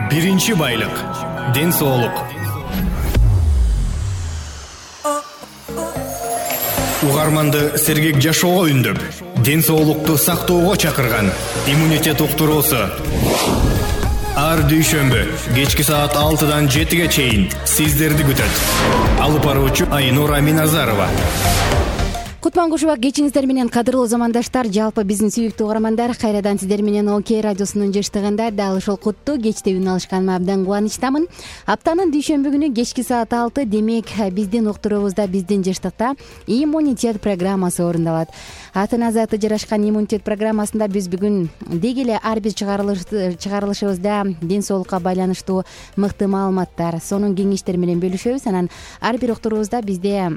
Биринчи байлык — ден соолук. Угарманды сергек жашоого үндөп, ден соолукту сактоого чакырган иммунитет уктуруусу. Ар дүйшөмбү кечки саат 6-дан 7-ге чейин сиздерди күтөт. Алып баруучу Айнура Миназарова. Кутман-кушуба кечиңиздер менен, кадырлуу замандаштар, жалпы биздин сүйүктүү угармандар. Кайрадан сиздер менен ОК радиосунун жыштыгында дал ушул куттуу кечте үн алышканыма абдан кубанычтамын. Аптанын дүйшөмбү күнү кечки саат 6, демек биздин уктуруубузда, биздин жыштыкта иммунитет программасы орундалат. Атына заты жарашкан иммунитет программасында биз бүгүн деги эле ар бир чыгарылышыбызда ден соолукка байланыштуу мыкты маалыматтар, сонун кеңештер менен бөлүшөбүз. Анан ар бир уктуруубузда бизде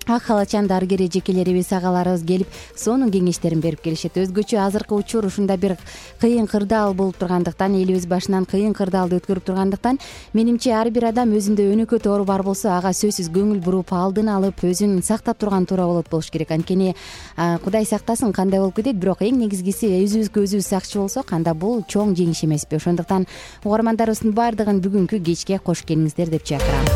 ак халачан дарыгер эжекелерибиз, агаларыбыз келип сонун кеңештерин берип келишет. Өзгөчө азыркы учур ушунда бир кыйын кырдаал болуп тургандыктан, элибиз башынан кыйын кырдаалды өткөрүп тургандыктан, менимче ар бир адам өзүндө өнөкөт оору бар болсо, ага сөзсүз көңүл буруп, алдын алып, өзүн сактап турган туура болуш керек. Анткени Кудай сактасын, кандай болуп кетет, бирок эң негизгиси өзүбүзгө өзүбүз сакчы болсок, анда бул чоң жеңиш эмеспи? Ошондуктан угармандарыбыздын баардыгын бүгүнкү кечке кош келиңиздер деп чакырам.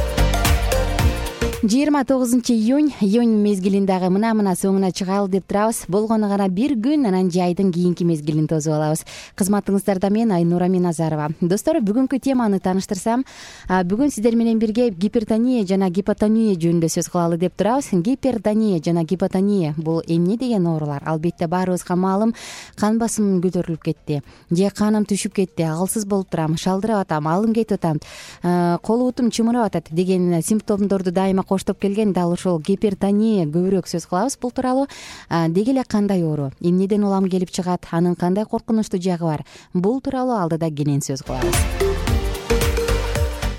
29-июнь мезгилиндагы мына соңуна чыгалы деп турабыз. Болгону гана бир күн, анан жайдын кийинки мезгилин тосуп алабыз. Кызматыңыздарда мен Айнура Миназарова. Достор, бүгүнкү теманы тааныштырсам, бүгүн сиздер менен бирге гипертония жана гипотония жөнүндө сөз кылалы деп турабыз. Гипертония жана гипотония бул эмне деген оорулар? Албетте баарыбызга маалым, кан басымым көтөрүлүп кетти, же каным түшүп кетти, алсыз болуп турам, шалдырап атам, алым кетип атам, кол бутум чымырап атат деген симптомдорду дайыма коштоп келген дал ушул гипертония көбүрөөк сөз кылабыз. Бул тууралуу деги эле кандай оору, эмнеден улам келип чыгат, анын кандай коркунучтуу жагы бар, бул тууралуу алдыда кенен сөз кылабыз.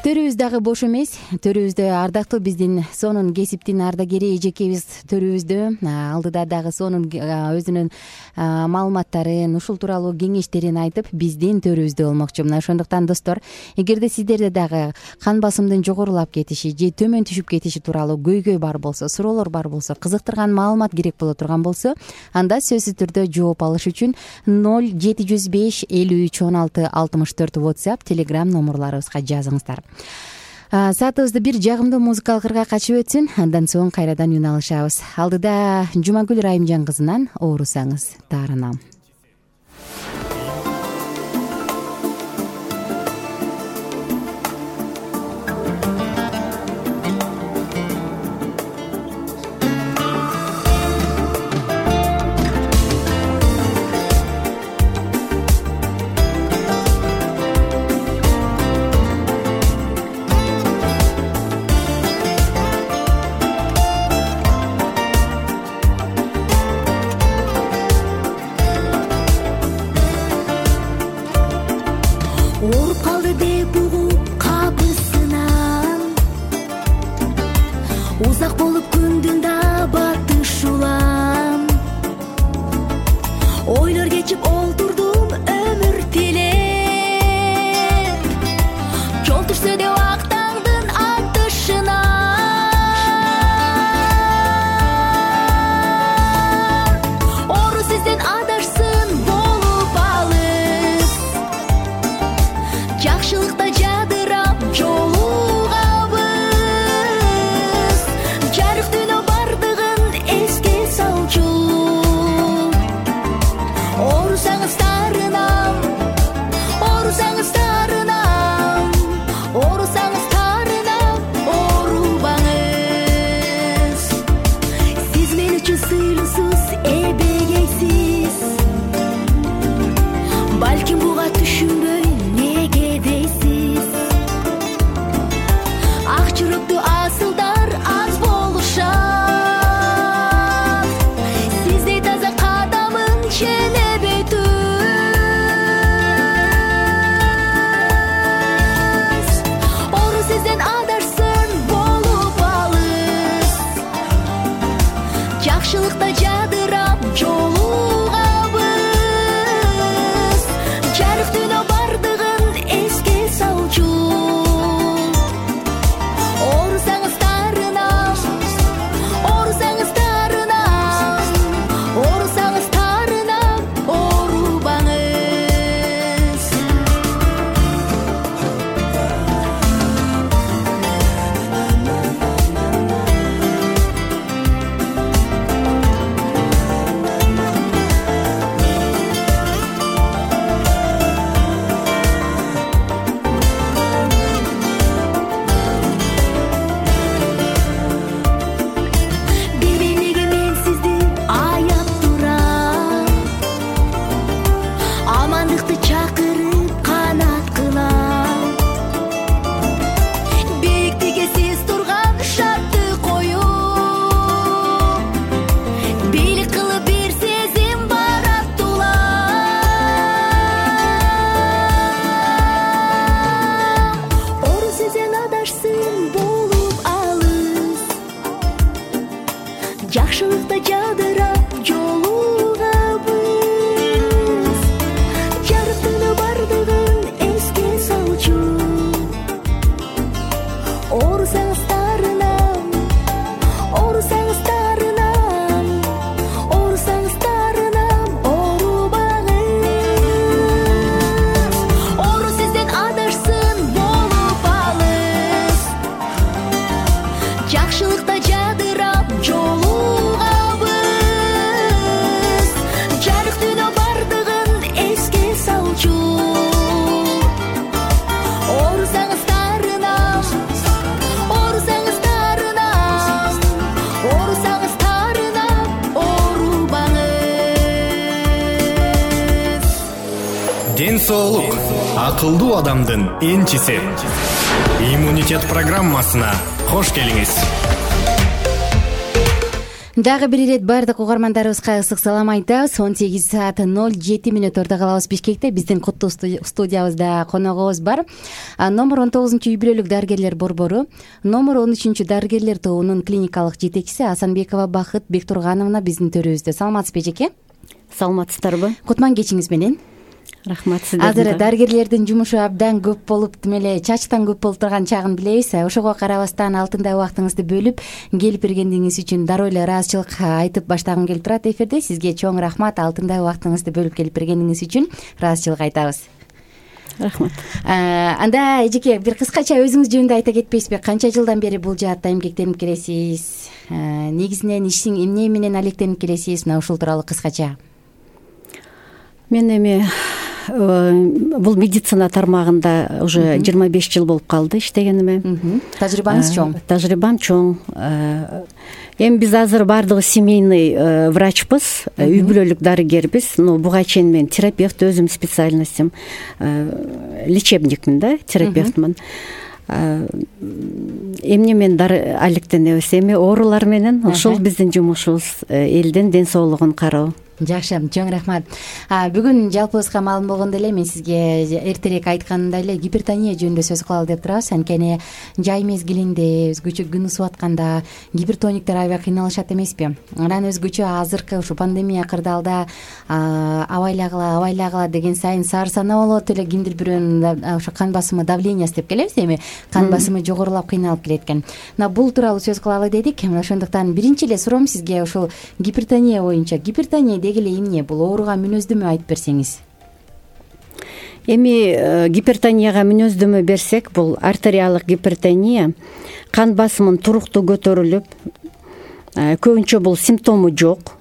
Төрүбүз дагы бош эмес. Төрүбүздө ардактуу биздин сонун кесиптин ардагери эжекебиз төрүбүздө. Алдыда дагы сонун өзүнүн маалыматтарын, ушул тууралуу кеңештерин айтып, биздин төрүбүздө болмокчу. Мына ошондуктан достор, эгерде сиздерде дагы кан басымдын жогорулап кетиши же төмөн түшүп кетиши тууралуу көйгөй бар болсо, суроолор бар болсо, кызыктырган маалымат керек боло турган болсо, анда сөзсүз түрдө жооп алыш үчүн 0705 53 16 64 WhatsApp, Telegram номерларыбызга жазыңыздар. Саатыбызды бир жагымдуу музыкалык ырга качып өтсүн, андан соң кайрадан үн алышабыз. Алдыда Жумагүл Райымжан кызынан Оорусаңыз таарынам. Жолугабыз, жарык түнө барды соолук акылдуу адамдын энчиси. Иммунитет программасына кош келиңиз. Дагы бир ирет баардык угармандарыбызга ысык салам айтабыз. 18:07 калабыз Бишкекте. Биздин куттуу студиябызда коногубуз бар. Номер 19 үй-бүлөлүк дарыгерлер борбору, номер 13 дарыгерлер тобунун клиникалык жетекчиси Асанбекова Бакыт Бектургановна биздин төрүбүздө. Саламатсызбы эжеке? Саламатсыздарбы? Кутман кечиңиз менен. Рахмат сиздерге. Азыр дарыгерлердин жумушу абдан көп болуп, эле чачтан көп болуп турган чагын билебиз. Ошого карабастан алтындай убактыңызды бөлүп келип бергениңиз үчүн дароо эле ыраазычылык айтып баштагым келип турат эфирде. Сизге чоң рахмат, алтындай убактыңызды бөлүп келип бергениңиз үчүн ыраазычылык айтабыз. Рахмат. Анда эжеке бир кыскача өзүңүз жөнүндө айта кетпейсизби? Канча жылдан бери бул жаатта эмгектенип келесиз? Негизинен иштин эмне менен алектенип келесиз? Мына ушул тууралуу кыскача. Мен эми бул медицина тармагында уже 25 жыл болуп калды иштегениме. Тажрыйбаңыз чоң. Тажрыйбам чоң. Эми биз азыр баардыгыбыз семейный врачпыз, үй-бүлөлүк дарыгербиз. Но буга чейин мен терапевт, өзүм специальностьм лечебникмин да, терапевтмин. Эмне мен алектенебиз? Эми оорулар менен ушул биздин жумушубуз, элдин ден соолугун кароо. Жакшы, чоң рахмат. Бүгүн жалпыбызга маалым болгондой эле мен сизге эртерээк айтканымдай эле гипертония жөнүндө сөз кылалы деп турабыз. Анткени жай мезгилинде, өзгөчө күн ысып атканда гипертониктер аябай кыйналышат эмеспи? Анан өзгөчө азыркы ушу пандемия кырдаалда абайлагыла деген сайын саар санаа болот эле, кимдир бирөөнүн ошо кан басымы, давлениясы деп келебиз эми, кан басымы жогорулап кыйналып келет экен. Мына бул тууралуу сөз кылалы дедик. Ошондуктан биринчи эле суроом сизге ушул гипертония боюнча. Гипертония деги эле эмне? Бул ооруга мүнөздөмө айтып берсеңиз. Эми гипертонияга мүнөздөмө берсек, бул артериалдык гипертония, кан басымын туруктуу көтөрүлүп, көбүнчө бул симптому жок.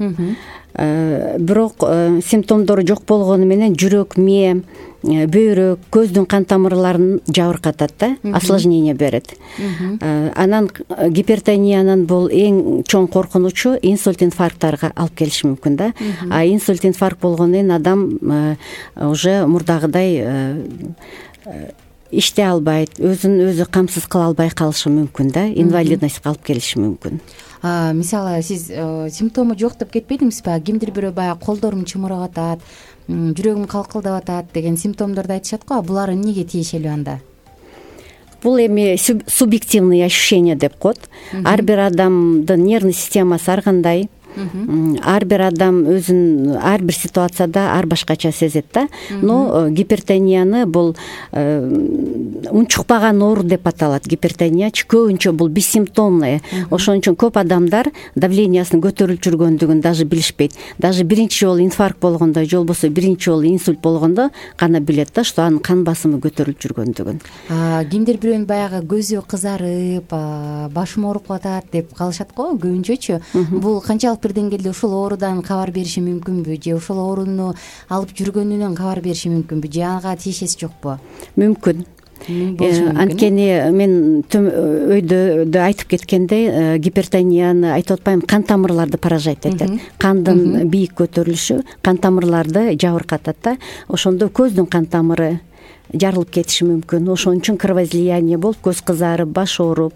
Бирок симптомдору жок болгону менен жүрөк, мээ, бөйрөк, көздүн кан тамырларын жабыркатат да, осложнение берет. Анан гипертониянын бул эң чоң коркунучу инсульт, инфаркттарга алып келиши мүмкүн да. Инсульт, инфаркт болгондон кийин адам уже мурдагыдай иштей албайт, өзүн өзү камсыз кыла албай калышы мүмкүн да, инвалидностька алып келиши мүмкүн. Мисалы сиз симптому жок деп кетпедиңизби? Кимдир бирөө баягы колдорум чымырап атат, жүрөгүм калкылдап атат деген симптомдорду айтышат го. Булар эмнеге тиешелүү анда? Бул эми субъективный ощущение деп коет. Ар бир адамдын нервный системасы ар кандай. Ар бир адам өзүн ар бир ситуацияда ар башкача сезет да. Но гипертонияны бул унчукпаган оору деп аталат. Гипертониячы көбүнчө бул бессимптомный. Ошон үчүн көп адамдар давлениясынын көтөрүлүп жүргөндүгүн даже билишпейт. Даже биринчи жолу инфаркт болгондо, же болбосо биринчи жолу инсульт болгондо гана билет да, что анын кан басымы көтөрүлүп жүргөндүгүн. Кимдир бирөөнүн баягы көзү кызарып, башым ооруп атат деп калышат го көбүнчөчү. Бул канчалык бир деңгээлде ушул оорудан кабар бериши мүмкүнбү, же ушул ооруну алып жүргөнүнөн кабар бериши мүмкүнбү, же ага тиешеси жокпу? Мүмкүн. Анткени мен өйдө айтып кеткендей, гипертонияны айтып атпайм, кан тамырларды поражать этет. Кандын бийик көтөрүлүшү кан тамырларды жабыркатат да. Ошондо көздүн кан тамыры жарылып кетиши мүмкүн. Ошон үчүн кровоизлияние болуп, көз кызарып, баш ооруп.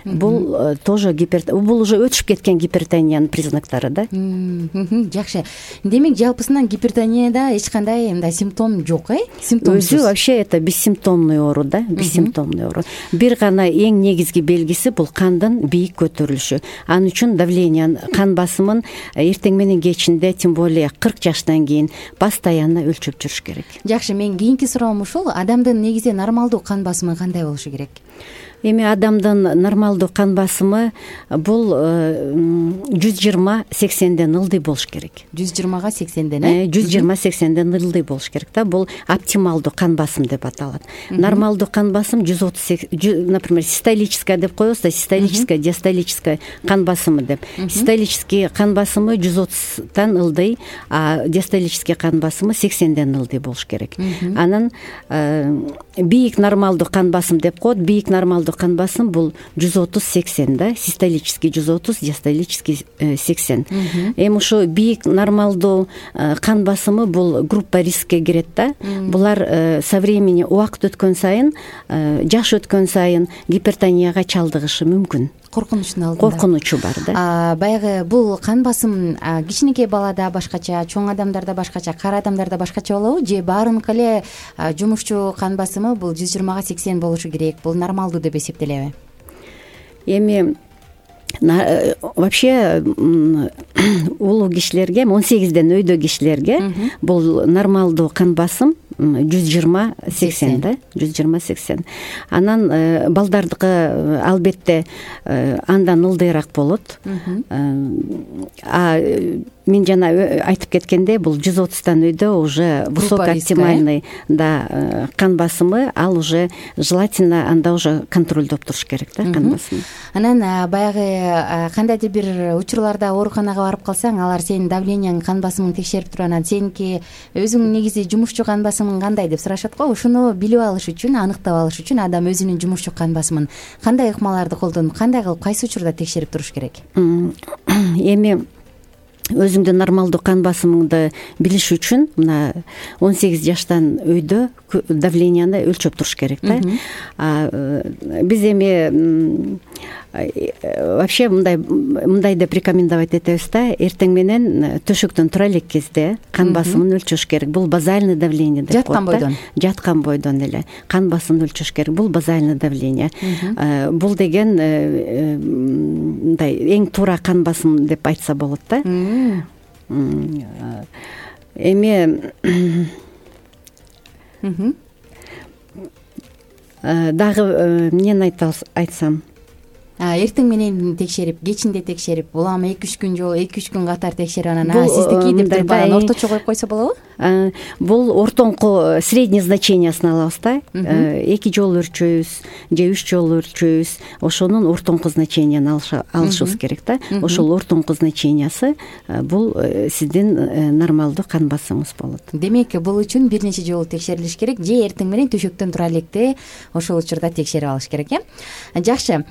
Бул тоже бул уже өтүшүп кеткен гипертониянын признактары да. Жакшы. Демек жалпысынан гипертонияда эч кандай мындай симптом жок, симптомсуз. Өзү вообще это бессимптомный оору да, бессимптомный оору. Бир гана эң негизги белгиси бул кандын бийик көтөрүлүшү. Анын үчүн давление, кан басымын эртең менен кечинде, тем более 40 жаштан кийин постоянно өлчөп жүрүш керек. Жакшы, мен кийинки суроом ушул. Адамдын негизи нормалдуу кан басымы кандай болушу керек? Эми адамдын нормалдуу кан басымы бул 120-80ден ылдый болуш керек. 120-га 80ден, 120-80ден ылдый болуш керек да. Бул оптималдуу кан басым деп аталат. Нормалдуу кан басым 130, например, систолическая деп коебуз да, систолическая, диастолическая кан басымы деп. Систолический кан басымы 130тан ылдый, а диастолический кан басымы 80ден ылдый болуш керек. Анан бийик нормалдуу кан басым деп коет. Бийик нормалдуу нормалдуу кан басым бул 130-80 да, систолический 130, диастолический 80. Эми ушу бийик нормалдуу кан басымы бул группа рискке кирет да. Булар со времени убакыт өткөн сайын, жаш өткөн сайын гипертонияга чалдыгышы мүмкүн. Коркунучтун алдында. Коркунучу бар да. Баягы бул кан басым кичинекей балада башкача, чоң адамдарда башкача, кары адамдарда башкача болобу? Же баарыныкы эле жумушчу кан басымы бул 120-80 болушу керек? Бул нормалдуу деп эсептелеби? Эми вообще улуу кишилерге, 18ден өйдө кишилерге бул нормалдуу кан басым 120-80 да, 120-80. Анан балдардыкы албетте андан ылдыйраак болот. Мен жана айтып кеткендей, бул 130тан өйдө уже высокооптимальный да кан басымы, ал уже желательно анда уже контролдоп туруш керек да кан басымы. Анан баягы кандайдыр бир учурларда ооруканага барып калсаң, алар сенин давленияң, кан басымың текшерип туруп, анан сеники өзүң негизи жумушчу кан басымың кандай деп сурашат го. Ушуну билип алыш үчүн, аныктап алыш үчүн адам өзүнүн жумушчу кан басымын кандай ыкмаларды колдонуп, кандай кылып, кайсы учурда текшерип туруш керек? Эми өзүңдүн нормалдуу кан басымыңды билиш үчүн мына 18 жаштан өйдө давленияны өлчөп туруш керек да. Биз эми вообще мындай деп рекомендовать этебиз да, эртең менен төшөктөн тура элек кезде кан басымын өлчөш керек. Бул базальный давление деп коет. Жаткан бойдон. Жаткан бойдон эле кан басымын өлчөш керек. Бул базальный давление. Бул деген мындай эң туура кан басым деп айтса болот да. Эми дагы эмнени айтсам, эртең менен текшерип, кечинде текшерип, улам 2-3 күн жолу 2-3 күн катар текшерип, анан сиздики деп туруп орточо коюп койсо болобу? Бул ортоңку средний значениясын алабыз да. 2 жолу өлчөйбүз же 3 жолу өлчөйбүз. Ошонун ортоңку значенияны алышыбыз керек да. Ошол ортоңку значениясы бул сиздин нормалдуу кан басымыңыз болот. Демек, бул үчүн бир нече жолу текшерилиш керек, же эртең менен төшөктөн тура электе ошол учурда текшерип алыш керек, Жакшы.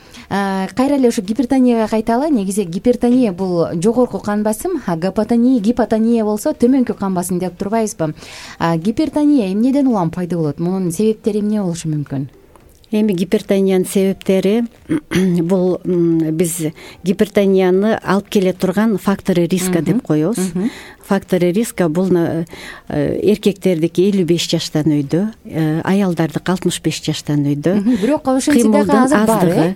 Кайра эле ушу гипертонияга кайталы. Негизи гипертония бул жогорку кан басым, гипотония болсо төмөнкү кан басым деп турбайбызбы? Гипертония эмнеден улам пайда болот? Мунун себептери эмне болушу мүмкүн? Эми гипертониянын себептери бул биз гипертонияны алып келе турган факторы риска деп коебуз. Факторы риска бул эркектердики 55 жаштан өйдө, аялдардыкы 65 жаштан өйдө. Бирок ошентсе дагы азыр бар.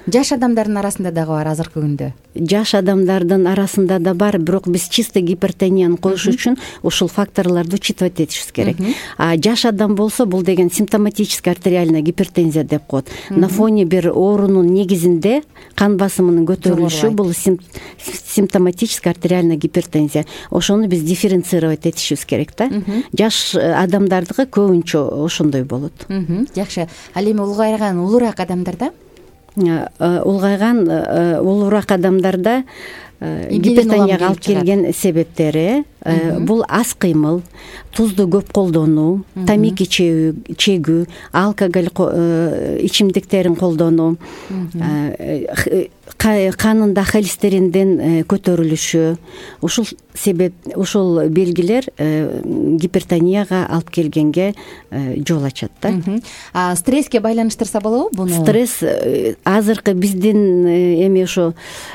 Жаш адамдардын арасында дагы бар азыркы күндө. Жаш адамдардын арасында да бар, бирок биз чисто гипертонияны коюш үчүн ушул факторлорду учитывать этишибиз керек. Жаш адам болсо бул деген симптоматическая артериальная гипертензия деп коет. На фоне бир оорунун негизинде кан басымынын көтөрүлүшү бул симптоматическая артериальная гипертензия. Ошону биз дифференцировать этишибиз керек да. Жаш адамдардыкы көбүнчө ошондой болот. Жакшы. Ал эми улгайган улуураак адамдарда? Улуураак адамдарда гипертонияга алып келген себептери бул аз кыймыл, тузду көп колдонуу, тамеки чегүү, алкоголь ичимдиктерин колдонуу, канында холестериндин көтөрүлүшү, ушул белгилер гипертонияга алып келгенге жол ачат да. Стресске байланыштырса болобу буну? Стресс азыркы биздин эми ошо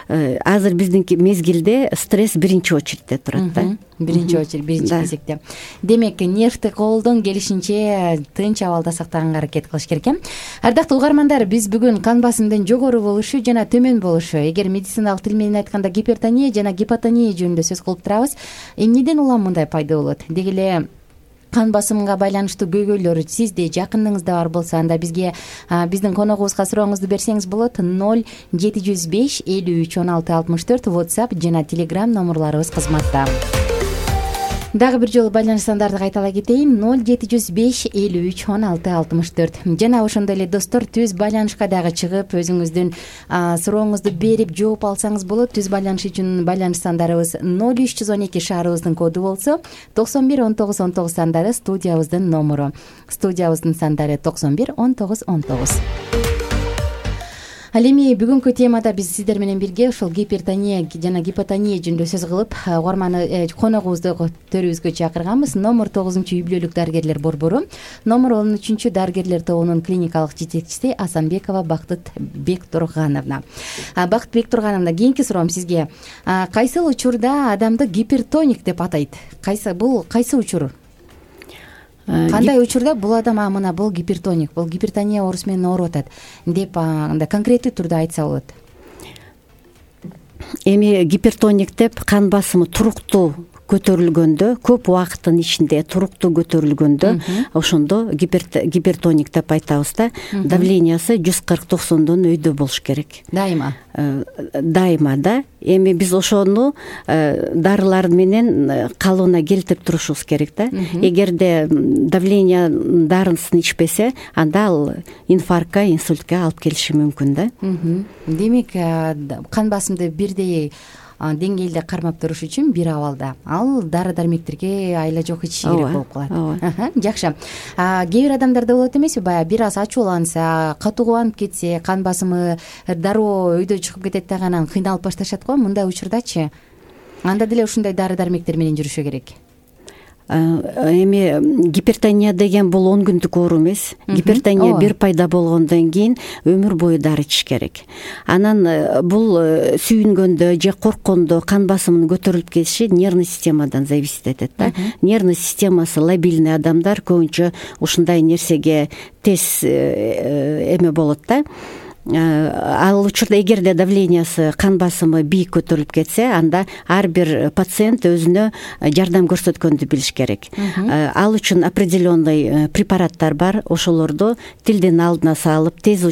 азыр биздинки мезгилде стресс биринчи очередде турат да. Биринчи очередь, биринчи кезекте. Демек, нервти колдон келишинче тынч абалда сактаганга аракет кылыш керек. Ардактуу угармандар, биз бүгүн кан басымдын жогору болушу жана төмөн болушу, эгер медициналык тил менен айтканда гипертония жана гипотония жөнүндө сөз кылып турабыз. Эмнеден улам мындай пайда болот? Деги эле кан басымга байланыштуу көйгөйлөр сизде, жакыныңызда бар болсо, анда бизге биздин коногубузга сурооңузду берсеңиз болот. 0705 53 16 64 WhatsApp жана Telegram номерларыбыз кызматта. Дагы бир жолу байланыш сандарды кайталай кетейин: 0705 53 16 64. Жана ошондой эле достор, түз байланышка дагы чыгып өзүңүздүн сурооңузду берип жооп алсаңыз болот. Түз байланыш үчүн байланыш сандарыбыз 0312 шаарыбыздын коду болсо, 91 19 19 сандары студиябыздын номуру. Студиябыздын сандары 91 19 19. Ал эми бүгүнкү темада биз сиздер менен бирге ушул гипертония жана гипотония жөнүндө сөз кылып, коногубузду төрүбүзгө чакырганбыз. Номер 9-үй бүлөлүк дарыгерлер борбору, номер 13 дарыгерлер тобунун клиникалык жетекчиси Асанбекова Бактыт Бектургановна. Бактыт Бектургановна, кийинки суроом сизге: кайсы учурда адамды гипертоник деп атайт? Кайсы учур? Кандай учурда бул адам мына бул гипертоник, бул гипертония оорусу менен ооруп атат деп андай конкреттүү түрдө айтса болот? Эми гипертоник деп кан басымы туруктуу көтөрүлгөндө, көп убакыттын ичинде туруктуу көтөрүлгөндө, ошондо гипертоник деп айтабыз да. Давлениясы 140-90дон өйдө болуш керек. Дайыма да. Эми биз ошону дарылар менен калыбына келтирип турушубуз керек да. Эгерде давление дарысын ичпесе, анда ал инфарктка, инсультка алып келиши мүмкүн да. Демек, кан басымды бирдей деңгээлде кармап туруш үчүн бир абалда ал дары дармектерге айла жок ичиш керек болуп калат. Жакшы. Кээ бир адамдарда болот эмеспи, баягы бир аз ачууланса, катууганып кетсе, кан басымы дароо өйдө чыгып кетет дагы, анан кыйналып башташат го. Мындай учурдачы анда деле ушундай дары дармектер менен жүрүшү керек. Эми гипертония деген бул 10 күндүк оору эмес. Гипертония бир пайда болгондон кийин өмүр бою дары ичиш керек. Анан бул сүйүнгөндө же корккондо кан басымынын көтөрүлүп кетиши нервный системадан зависит этет да. Нервный системасы лабильный адамдар көбүнчө ушундай нерсеге тез эме болот да. Ал учурда эгерде давлениясы, кан басымы бийик көтөрүлүп кетсе, анда ар бир пациент өзүнө жардам көрсөткөндү билиш керек. Ал үчүн определенный препараттар бар, ошолорду тилдин алдына салып тез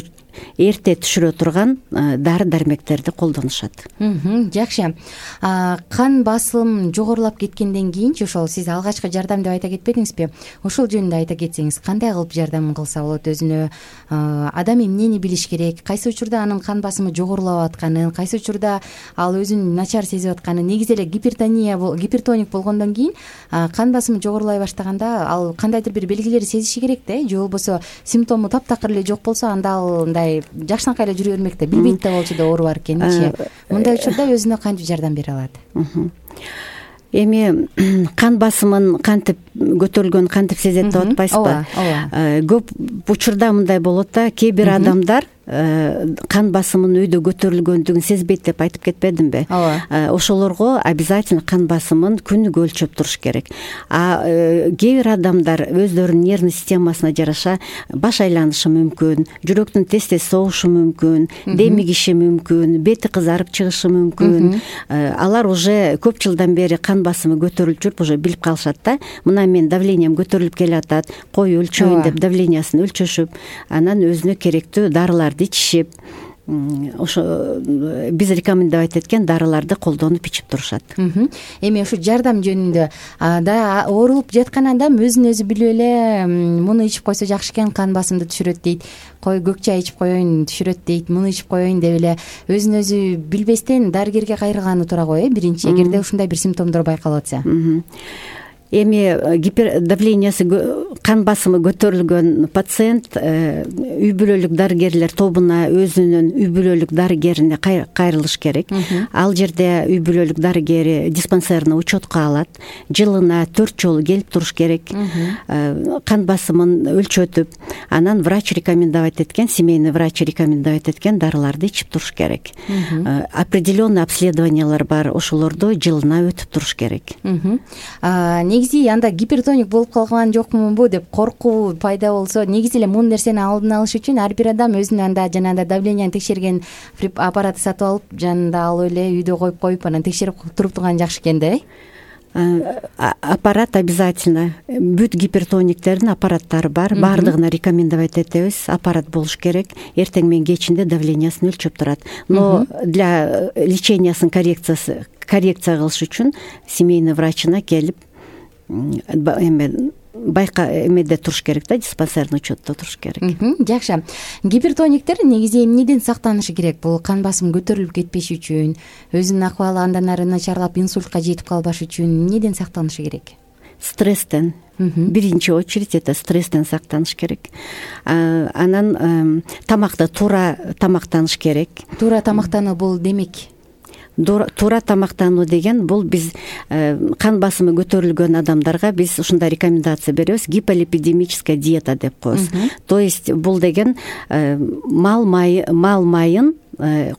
эрте түшүрө турган дары дармектерди колдонушат. Жакшы. Кан басым жогорулап кеткенден кийинчи, ошол сиз алгачкы жардам деп айта кетпедиңизби? Ошол жөнүндө айта кетсеңиз, кандай кылып жардам кылса болот өзүнө? Адам эмнени билиш керек? Кайсы учурда анын кан басымы жогорулап атканын, кайсы учурда ал өзүн начар сезип атканын? Негизи эле гипертоник болгондон кийин кан басымы жогорулай баштаганда ал кандайдыр бир белгилерди сезиши керек да, же болбосо симптому таптакыр эле жок болсо, анда ал жакшынакай эле жүрө бермек да, билбейт да болчу да оору бар экенинчи. Мындай учурда өзүнө кантип жардам бере алат? Эми кан басымын кантип көтөрүлгөнүн кантип сезет деп атпайсызбы? Көп учурда мындай болот да, кээ бир адамдар кан басымынын өйдө көтөрүлгөндүгүн сезбейт деп айтып кетпедимби? Ошолорго обязательно кан басымын күнүгө өлчөп туруш керек. Кээ бир адамдар өздөрүнүн нервный системасына жараша баш айланышы мүмкүн, жүрөктүн тез-тез согушу мүмкүн, демигиши мүмкүн, бети кызарып чыгышы мүмкүн. Алар уже көп жылдан бери кан басымы көтөрүлүп жүрүп, уже билип калышат да. Мына мен давлениям көтөрүлүп келатат, кой өлчөйүн деп давлениясын өлчөшүп, анан өзүнө керектүү дарылар ичишип, ошо биз рекомендовать эткен дарыларды колдонуп ичип турушат. Эми ушу жардам жөнүндө да, оорулуп жаткан адам өзүн өзү билип эле муну ичип койсо жакшы экен, кан басымды түшүрөт дейт. Көк чай ичип коеюн, түшүрөт дейт. Муну ичип коеюн деп эле өзүн өзү билбестен дарыгерге кайрылганы туура го, биринчи, эгерде ушундай бир симптомдор байкалып атса. Эми давлениясы, кан басымы көтөрүлгөн пациент үй бүлөлүк дарыгерлер тобуна өзүнүн үй бүлөлүк дарыгерине кайрылыш керек. Ал жерде үй бүлөлүк дарыгери диспансерный учетко алат. Жылына 4 жолу келип туруш керек. Кан басымын өлчөтүп, анан врач рекомендовать эткен, семейный врач рекомендовать эткен дарыларды ичип туруш керек. Определенный обследованиялар бар, ошолорду жылына өтүп туруш керек. Негизи анда гипертоник болуп калган жокмунбу деп коркуу пайда болсо, негизи эле мун нерсени алдын алыш үчүн ар бир адам өзүнө анда жанагындай давленияны текшерген аппаратты сатып алып, жанында алып эле үйдө коюп анан текшерип туруп турган жакшы экен да. Аппарат обязательно. Бүт гипертониктердин аппараттары бар. Бардыгына рекомендовать этебиз. Аппарат болуш керек. Эртең менен кечинде давлениясын өлчөп турат. Но для лечениясын коррекция кылыш үчүн семейный врачына келип эме эмеде туруш керек да, диспансерный учетто туруш керек. Жакшы. Гипертониктер негизи эмнеден сактанышы керек? Бул кан басым көтөрүлүп кетпеш үчүн, өзүнүн акыбалы андан ары начарлап инсультка жетип калбаш үчүн эмнеден сактанышы керек? Стресстен. Биринчи очередь это стресстен сактаныш керек. Анан тамакты туура тамактаныш керек. Туура тамактануу бул демек туура тамактануу деген бул биз кан басымы көтөрүлгөн адамдарга биз ушундай рекомендация беребиз: гиполипидемическая диета деп коебуз. То есть бул деген мал майын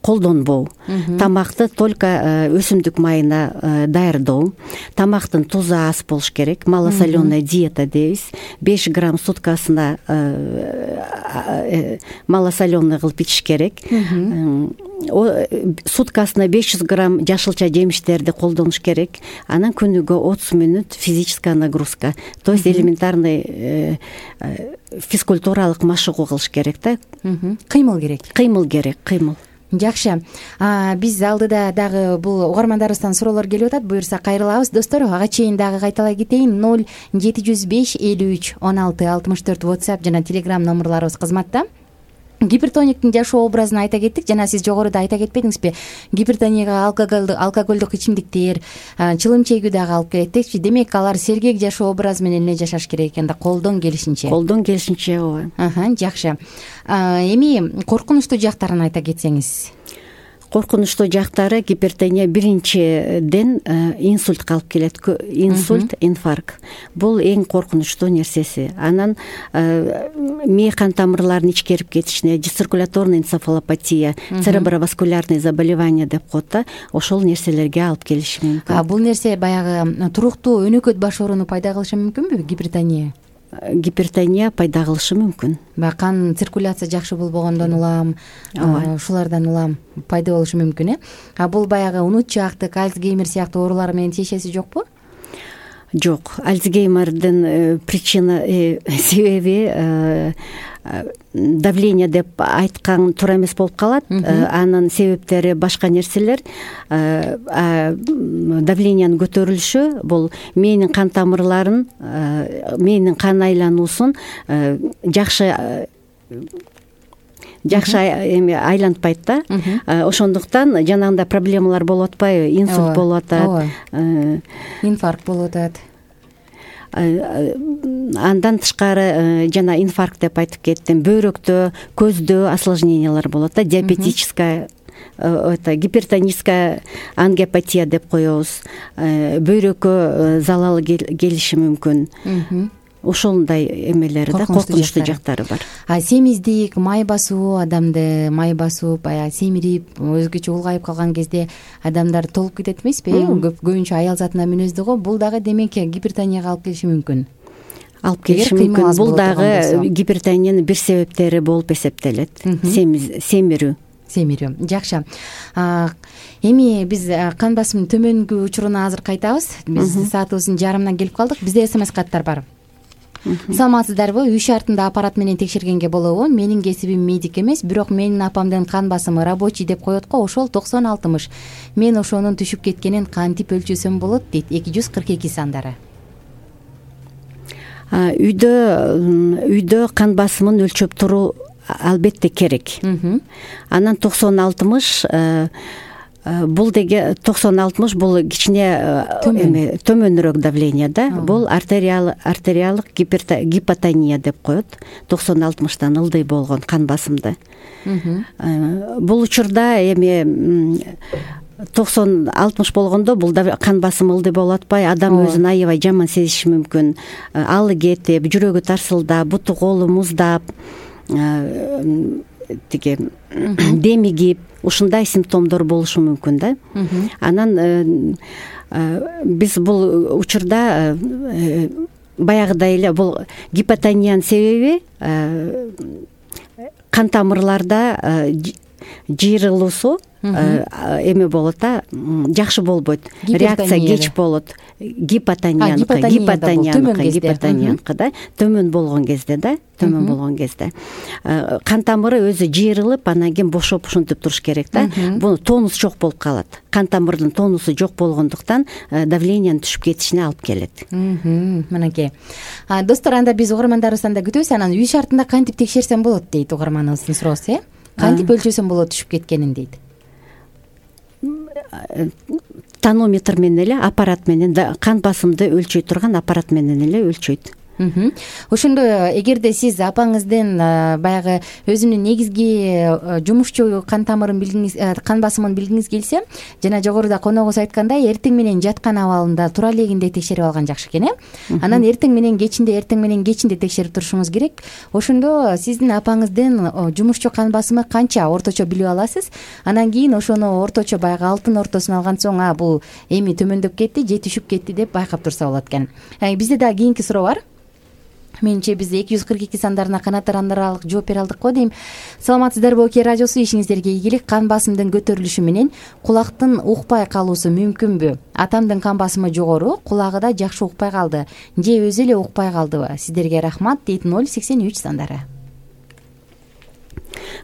колдонбоо, тамакты только өсүмдүк майына даярдоо, тамактын тузу аз болуш керек, малосоленая диета дейбиз. 5 грамм суткасына малосоленый кылып ичиш керек. Суткасына 500 грамм жашылча жемиштерди колдонуш керек. Анан күнүгө 30 мүнөт физическая нагрузка, то есть элементарный физкультуралык машыгуу кылыш керек да. Кыймыл керек. Жакшы. Биз алдыда дагы бул угармандарыбыздан суроолор келип атат. Буюрса кайрылабыз. Достор, ага чейин дагы кайталай кетейин. 0705 53 16 64 WhatsApp жана Telegram номерларыбыз кызматта. Гипертониктин жашоо образын айта кеттик. Жана сиз жогоруда айта кетпедиңизби? Гипертонияга алкоголдук ичимдиктер, чылым чегүү дагы алып келет дечи. Демек, алар сергек жашоо образы менен эле жашаш керек экен да, колдон келишинче. Ооба. Жакшы. Эми коркунучтуу жактарын айта кетсеңиз. Коркунучтуу жактары гипертония биринчиден инсультка алып келет. Инсульт, инфаркт. Бул эң коркунучтуу нерсеси. Анан мээ кан тамырларынын ичкерип кетишине, дециркуляторный энцефалопатия, цереброваскулярный заболевание деп коет да, ошол нерселерге алып келиши мүмкүн. Бул нерсе баягы туруктуу өнөкөт баш ооруну пайда кылышы мүмкүнбү гипертония? Гипертония пайда кылышы мүмкүн. Кан циркуляция жакшы болбогондон улам, ушулардан улам пайда болушу мүмкүн, Бул баягы унутчаактык, Альцгеймер сыяктуу оорулар менен тиешеси жокпу? Жок. Альцгеймердин причина себеби давление деп айткан туура эмес болуп калат. Анын себептери башка нерселер. Давлениянын көтөрүлүшү бул мээнин кан тамырларын, мээнин кан айлануусун жакшы эми айлантпайт да. Ошондуктан жанагындай проблемалар болуп атпайбы? Инсульт болуп атат, инфаркт болуп атат. Андан тышкары жана инфаркт деп айтып кеттим. Бөйрөктө, көздө осложнениялар болот да, диабетическая, гипертоническая ангиопатия деп коебуз. Бөйрөккө залал келиши мүмкүн. Ошондой эмелери да, коркунучтуу жактары бар. Семиздик, май басуу, адамды май басып, семирип, өзгөчө улгайып калган кезде адамдар толуп кетет эмеспи? Көбүнчө аял затына мүнөздүү го. Бул дагы демек гипертонияга алып келиши мүмкүн. Бул дагы гипертониянын бир себептери болуп эсептелет. Семирүү. Жакшы. Эми биз кан басымдын төмөнгү учуруна азыр кайтабыз. Биз саатыбыздын жарымына келип калдык. Бизде СМС каттар бар. Саламатсыздарбы? Үй шартында аппарат менен текшергенге болобу? Менин кесибим медик эмес, бирок менин апамдын кан басымы рабочий деп коет го, ошол 90-60. Мен ошонун түшүп кеткенин кантип өлчөсөм болот дейт. 242 сандары. Үйдө кан басымын өлчөп туруу албетте керек. Анан 90-60 бул деге 90-60 бул кичине төмөнүрөөк давление да. Бул артериалдык гипотония деп коет. 90-60тан ылдый болгон кан басымды. Бул учурда эми 90-60 болгондо бул кан басымы ылдый болуп атпай, адам өзүн аябай жаман сезиши мүмкүн. Алы кетип, жүрөгү тарсылдап, буту колу муздап, тиги демигип, ушундай симптомдор болушу мүмкүн да. Анан биз бул учурда баягыдай эле бул гипотониянын себеби кан тамырларда жыйрылуусу, эме болот да, жакшы болбойт, реакция кеч болот. Гипотонияныкы да, төмөн болгон кезде кан тамыры өзү жыйрылып, анан кийин бошоп ушинтип туруш керек да. Бул тонус жок болуп калат. Кан тамырдын тонусу жок болгондуктан давлениянын түшүп кетишине алып келет. Мынакей. Достор, анда биз угармандарыбыздан да күтөбүз. Анан үй шартында кантип текшерсем болот дейт угарманыбыздын суроосу, кантип өлчөсөм болот түшүп кеткенин дейт. Тонометр менен эле, аппарат менен, кан басымды өлчөй турган аппарат менен эле өлчөйт. Ошондо эгерде сиз апаңыздын баягы өзүнүн негизги жумушчу кан тамырын билгиңиз, кан басымын билгиңиз келсе, жана жогоруда коногубуз айткандай, эртең менен жаткан абалында тура элегинде текшерип алган жакшы экен, Анан эртең менен кечинде текшерип турушуңуз керек. Ошондо сиздин апаңыздын жумушчу кан басымы канча орточо билип аласыз. Анан кийин ошону орточо баягы алтын ортосун алган соң, бул эми төмөндөп кетти же түшүп кетти деп байкап турса болот экен. Бизде дагы кийинки суроо бар. Менимче биз 242 сандарына канааттарандыралык жооп бере алдык го дейм. Саламатсыздарбы, Оке радиосу, ишиңиздерге ийгилик. Кан басымдын көтөрүлүшү менен кулактын укпай калуусу мүмкүнбү? Атамдын кан басымы жогору, кулагы да жакшы укпай калды. Же өзү эле укпай калдыбы? Сиздерге рахмат дейт 083 сандары.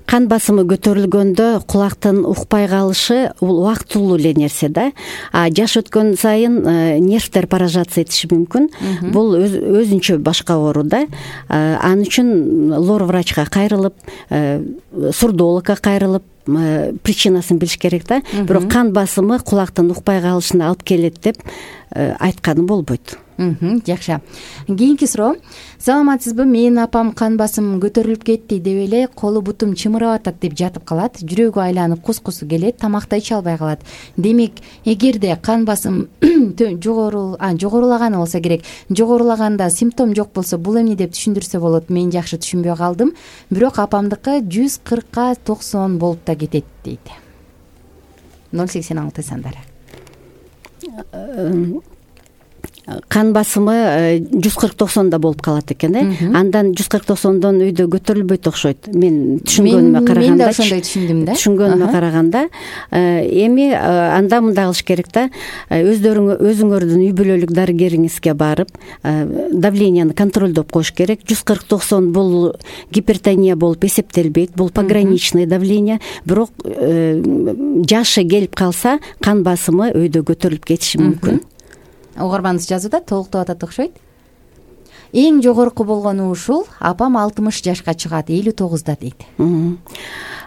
Кан басымы көтөрүлгөндө кулактын укпай калышы бул убактылуу эле нерсе да. Жаш өткөн сайын нервдер поражаться этиши мүмкүн. Бул өзүнчө башка оору да. Ал үчүн лор врачка кайрылып, сурдологко кайрылып, причинасын билиш керек да. Бирок кан басымы кулактын укпай калышына алып келет деп айтканы болбойт. Жакшы. Кийинки суроо. Саламатсызбы? Менин апам кан басымым көтөрүлүп кетти деп эле колу бутум чымырап атат деп жатып калат. Жүрөгү айланып кускусу келет, тамакты иче албай калат. Демек, эгерде кан басым жогорулаганы болсо керек, жогорулаганда симптом жок болсо, бул эмне деп түшүндүрсө болот? Мен жакшы түшүнбөй калдым. Бирок апамдыкы 140-90 болуп да кетет дейт. 086 сандары. Кан басымы 140-90 болуп калат экен, Андан 140-90дон үйдө көтөрүлбөйт окшойт. Мен түшүнгөнүмө караганда. Мен да ошондой түшүндүм да. Түшүнгөнүмө караганда, эми анда мындай кылыш керек да. Өзүңөрдүн үй бүлөлүк дарыгериңизге барып, давленияны контролдоп коюш керек. 140-90 бул гипертония болуп эсептелбейт. Бул пограничный давление. Бирок жашы келип калса, кан басымы өйдө көтөрүлүп кетиши мүмкүн. Угарманыбыз жазууда толуктап атат окшойт. Эң жогорку болгону ушул, апам 60 жашка чыгат, 59да дейт.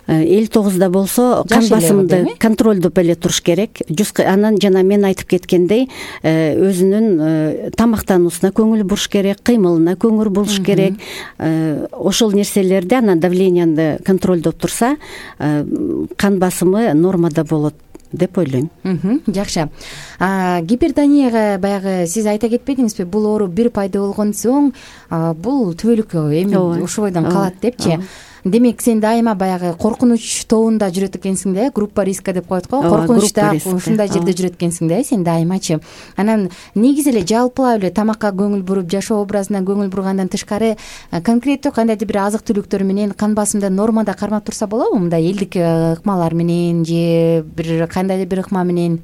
59да болсо кан басымды контролдоп эле туруш керек. Анан жана мен айтып кеткендей, өзүнүн тамактануусуна көңүл буруш керек, кыймылына көңүл буруш керек. Ошол нерселерди, анан давленияны контролдоп турса, кан басымы нормада болот деп ойлойм. Жакшы. Гипертонияга баягы сиз айта кетпедиңизби? Бул оору бир пайда болгон соң, бул түбөлүк эми ушойдон калат депчи. Демек, сен дайыма баягы коркунуч тобунда жүрөт экенсиң да, группа риска деп коет го. Коркунучта ушундай жерде жүрөт экенсиң да, сен дайымачы. Анан негизи эле жалпылап эле тамакка көңүл буруп, жашоо образына көңүл бургандан тышкары, конкреттүү кандайдыр бир азык түлүктөр менен кан басымды нормада кармап турса болобу? Мындай элдик ыкмалар менен же бир кандайдыр бир ыкма менен?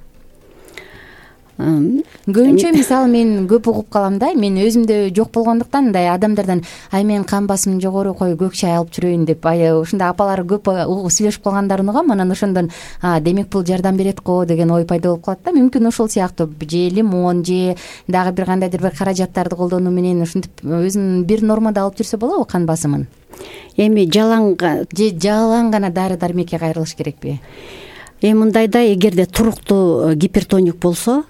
Көбүнчө мисалы мен көп угуп калам да, мен өзүмдө жок болгондуктан мындай адамдардан мен кан басымым жогору, кой көк чай алып жүрөйүн деп ушундай апалар көп сүйлөшүп калгандарын угам. Анан ошондон демек бул жардам берет го деген ой пайда болуп калат да. Мүмкүн ошол сыяктуу же лимон же дагы бир кандайдыр бир каражаттарды колдонуу менен ушинтип өзүн бир нормада алып жүрсө болобу кан басымын? Эми жалаң гана дары дармекке кайрылыш керекпи? Мындайда, эгерде туруктуу гипертоник болсо,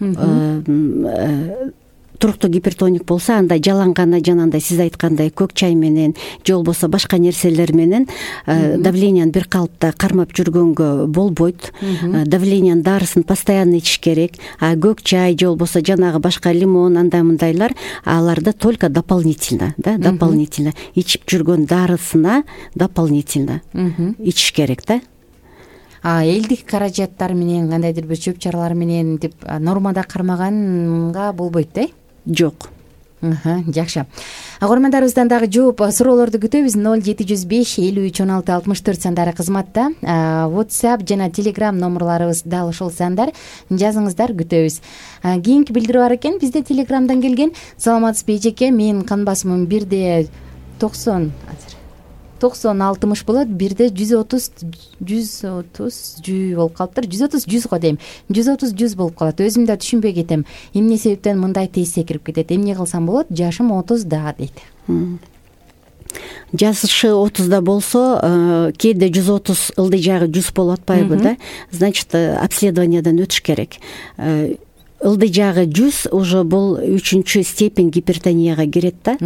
анда жалаң гана жанагындай сиз айткандай көк чай менен же болбосо башка нерселер менен давленияны бир калыпта кармап жүргөнгө болбойт. Давлениянын дарысын постоянно ичиш керек. Көк чай же болбосо жанагы башка лимон, андай мындайлар, аларды только дополнительно ичип жүргөн дарысына дополнительно ичиш керек да. Элдик каражаттар менен, кандайдыр бир чөп чаралар менен деп нормада кармаганга болбойт да? Жок. Жакшы. Угармандарыбыздан дагы жооп суроолорду күтөбүз. 0705531664 сандары кызматта. WhatsApp жана Telegram номерларыбыз дал ушул сандар. Жазыңыздар, күтөбүз. Кийинки билдирүү бар экен. Бизде Telegramдан келген. Саламатсызбы эжеке? Менин кан басымым 1/90 90-60 болот, 1/130 болуп калыптыр. 130-100 го дейм. 130-100 болуп калат. Өзүм да түшүнбөй кетем. Эмне себептен мындай тез секирип кетет? Эмне кылсам болот? Жашым 30да дейт. Жашы 30да болсо, кээде 130 ылдый жагы 100 болуп атпайбы да? Значит, обследованиядан өтүш керек. Ылдый жагы 100 уже бул 3-чү степень гипертонияга кирет да.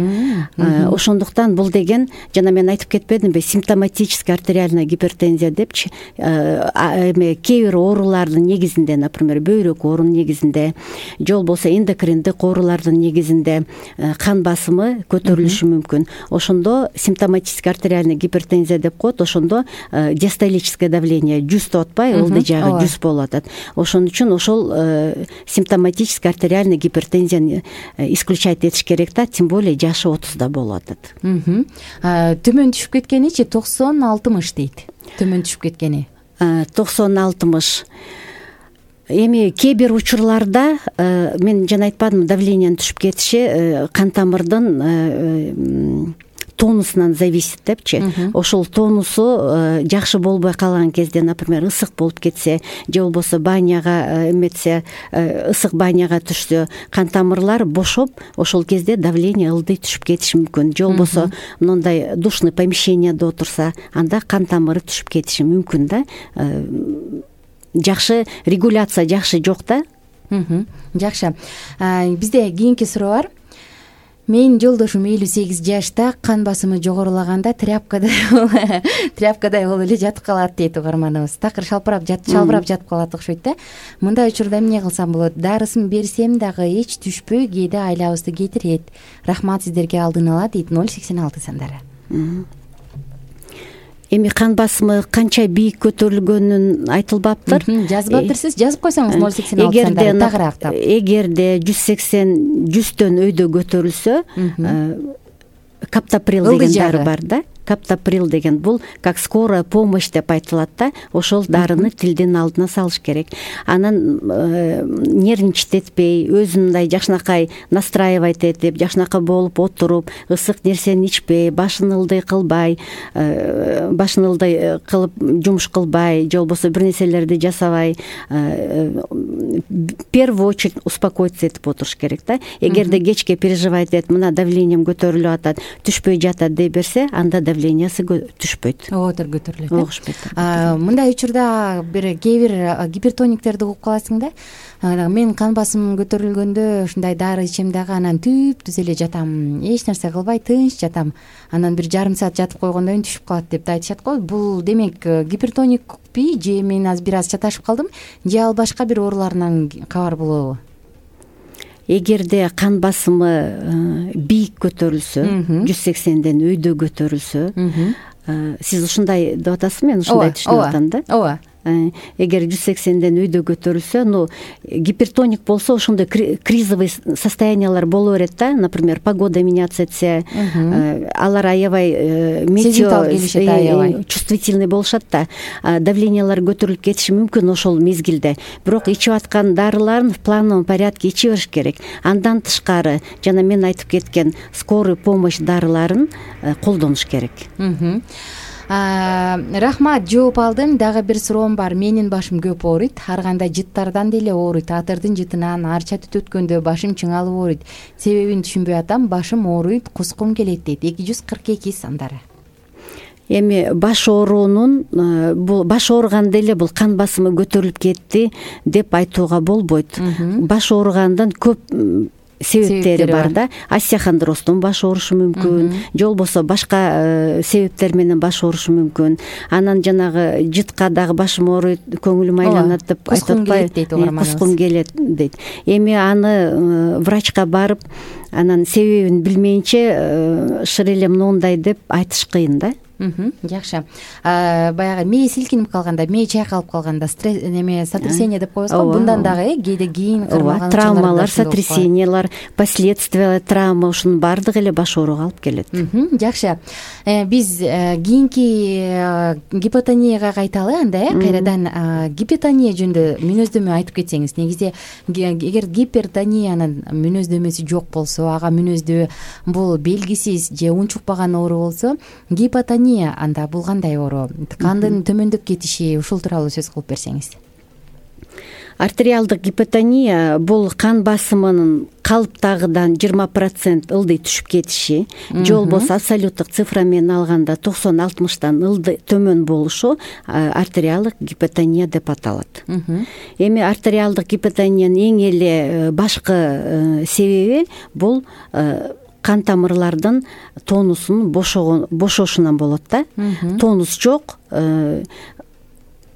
Ошондуктан бул деген, жана мен айтып кетпедимби, симптоматический артериальная гипертензия депчи, кээ бир оорулардын негизинде, например, бөйрөк оорунун негизинде, же болбосо эндокриндик оорулардын негизинде кан басымы көтөрүлүшү мүмкүн. Ошондо симптоматический артериальная гипертензия деп коет. Ошондо диастолическое давление 100 деп атпайбы, ылдый жагы 100 болуп атат. Ошон үчүн ошол симптоматический артериальный гипертензияны исключать этиш керек да, тем более жашы 30да болуп атат. Төмөн түшүп кеткеничи 90-60 дейт. Төмөн түшүп кеткени 90-60. Эми кээ бир учурларда мен жана айтпадымбы, давлениянын түшүп кетиши кан тамырдын тонусунан зависит депчи. Ошол тонусу жакшы болбой калган кезде, например, ысык болуп кетсе, же болбосо баняга эметсе, ысык баняга түшсө, кан тамырлар бошоп, ошол кезде давление ылдый түшүп кетиши мүмкүн. Же болбосо мындай душный помещенияда отурса, анда кан тамыры түшүп кетиши мүмкүн да. Жакшы регуляция жакшы жок да. Жакшы. Бизде кийинки суроо бар. Менин жолдошум 58 жашта, кан басымы жогорулаганда тряпкадай болуп эле жатып калат дейт угарманыбыз. Такыр шалбырап жатып калат окшойт да. Мындай учурда эмне кылсам болот? Дарысын берсем дагы эч түшпөй, кээде айлабызды кетирет. Рахмат сиздерге алдын ала дейт. 086 сандары. Эми кан басымы канча бийик көтөрүлгөнүн айтылбаптыр. Жазып атырсыз, жазып койсоңуз 086 сандары тагыраактап. Эгерде 180-100төн өйдө көтөрүлсө, каптоприл деген дары бар да. Каптоприл деген бул как скорая помощь деп айтылат да. Ошол дарыны тилдин алдына салыш керек. Анан нервничать этпей, өзүн мындай жакшынакай настраивать этип, жакшынакай болуп отуруп, ысык нерсени ичпей, башын ылдый кылып жумуш кылбай, же болбосо бир нерселерди жасабай, в первую очередь успокоиться этип отуруш керек да. Эгерде кечке переживать этип, мына давлением көтөрүлүп атат, түшпөй жатат дей берсе, анда давлениясы түшпөйт. Оотур көтөрүлөт. Мындай учурда кээ бир гипертониктерди угуп каласың да. Мен кан басымым көтөрүлгөндө ушундай дары ичем дагы, анан түз эле жатам, эч нерсе кылбай тынч жатам. Анан бир жарым саат жатып койгондон кийин түшүп калат деп да айтышат го. Бул демек гипертоникпи, же мен бир аз чаташып калдым, же ал башка бир ооруларынан кабар болобу? Эгерде кан басымы бийик көтөрүлсө, 180ден өйдө көтөрүлсө, сиз ушундай деп атасызбы, мен ушундай түшүнүп атам да. Ооба. Эгер 180ден өйдө көтөрүлсө, гипертоник болсо ошондой кризовый состояниялар боло берет да. Например, погода меняться этсе, алар аябай чувствительный болушат да. Давлениялар көтөрүлүп кетиши мүмкүн ошол мезгилде. Бирок ичип аткан дарыларын в плановом порядке иче бериш керек. Андан тышкары, жана мен айтып кеткен скорый помощь дарыларын колдонуш керек. Рахмат, жооп алдым. Дагы бир суроом бар. Менин башым көп ооруйт. Ар кандай жыттардан деле ооруйт. Атырдын жытынан арча түт өткөндө башым чыңалып ооруйт. Себебин түшүнбөй атам. Башым ооруйт, кускум келет дейт. 242 сандары. Эми баш оорунун, бул баш ооруганда эле бул кан басымы көтөрүлүп кетти деп айтууга болбойт. Баш ооругандан көп себептери бар да. Остеохондростон баш оорушу мүмкүн, же болбосо башка себептер менен баш оорушу мүмкүн. Анан жанагы жытка дагы башым ооруйт, көңүлүм айланат деп айтып атпайбы? Кускум келет дейт. Эми аны врачка барып, анан себебин билмейинче шыр эле моундай деп айтыш кыйын да. Жакшы. Баягы мээ силкинип калганда, мээ чайкалып калганда сотрясение деп коебузго, мындан дагы кээде кийин ооба, травмалар, сотрясениялар, последствия травма, ушунун баардыгы эле баш ооруга алып келет. Жакшы. Биз кийинки гипотонияга кайталы анда, кайрадан гипотония жөнүндө мүнөздөмө айтып кетсеңиз. Негизи эгер гипертониянын мүнөздөмөсү жок болсо, ага мүнөздөө бул белгисиз же унчукпаган оору болсо, гипотония анда бул кандай оору? Кандын төмөндөп кетиши, ушул тууралуу сөз кылып берсеңиз. Артериалдык гипотония бул кан басымынын калыптагыдан 20% ылдый түшүп кетиши, же болбосо абсолюттук цифра менен алганда 90-60тан ылдый төмөн болушу артериалдык гипотония деп аталат. Эми артериалдык гипотониянын эң эле башкы себеби бул кан тамырлардын тонусунун бошошунан болот да. Тонус жок,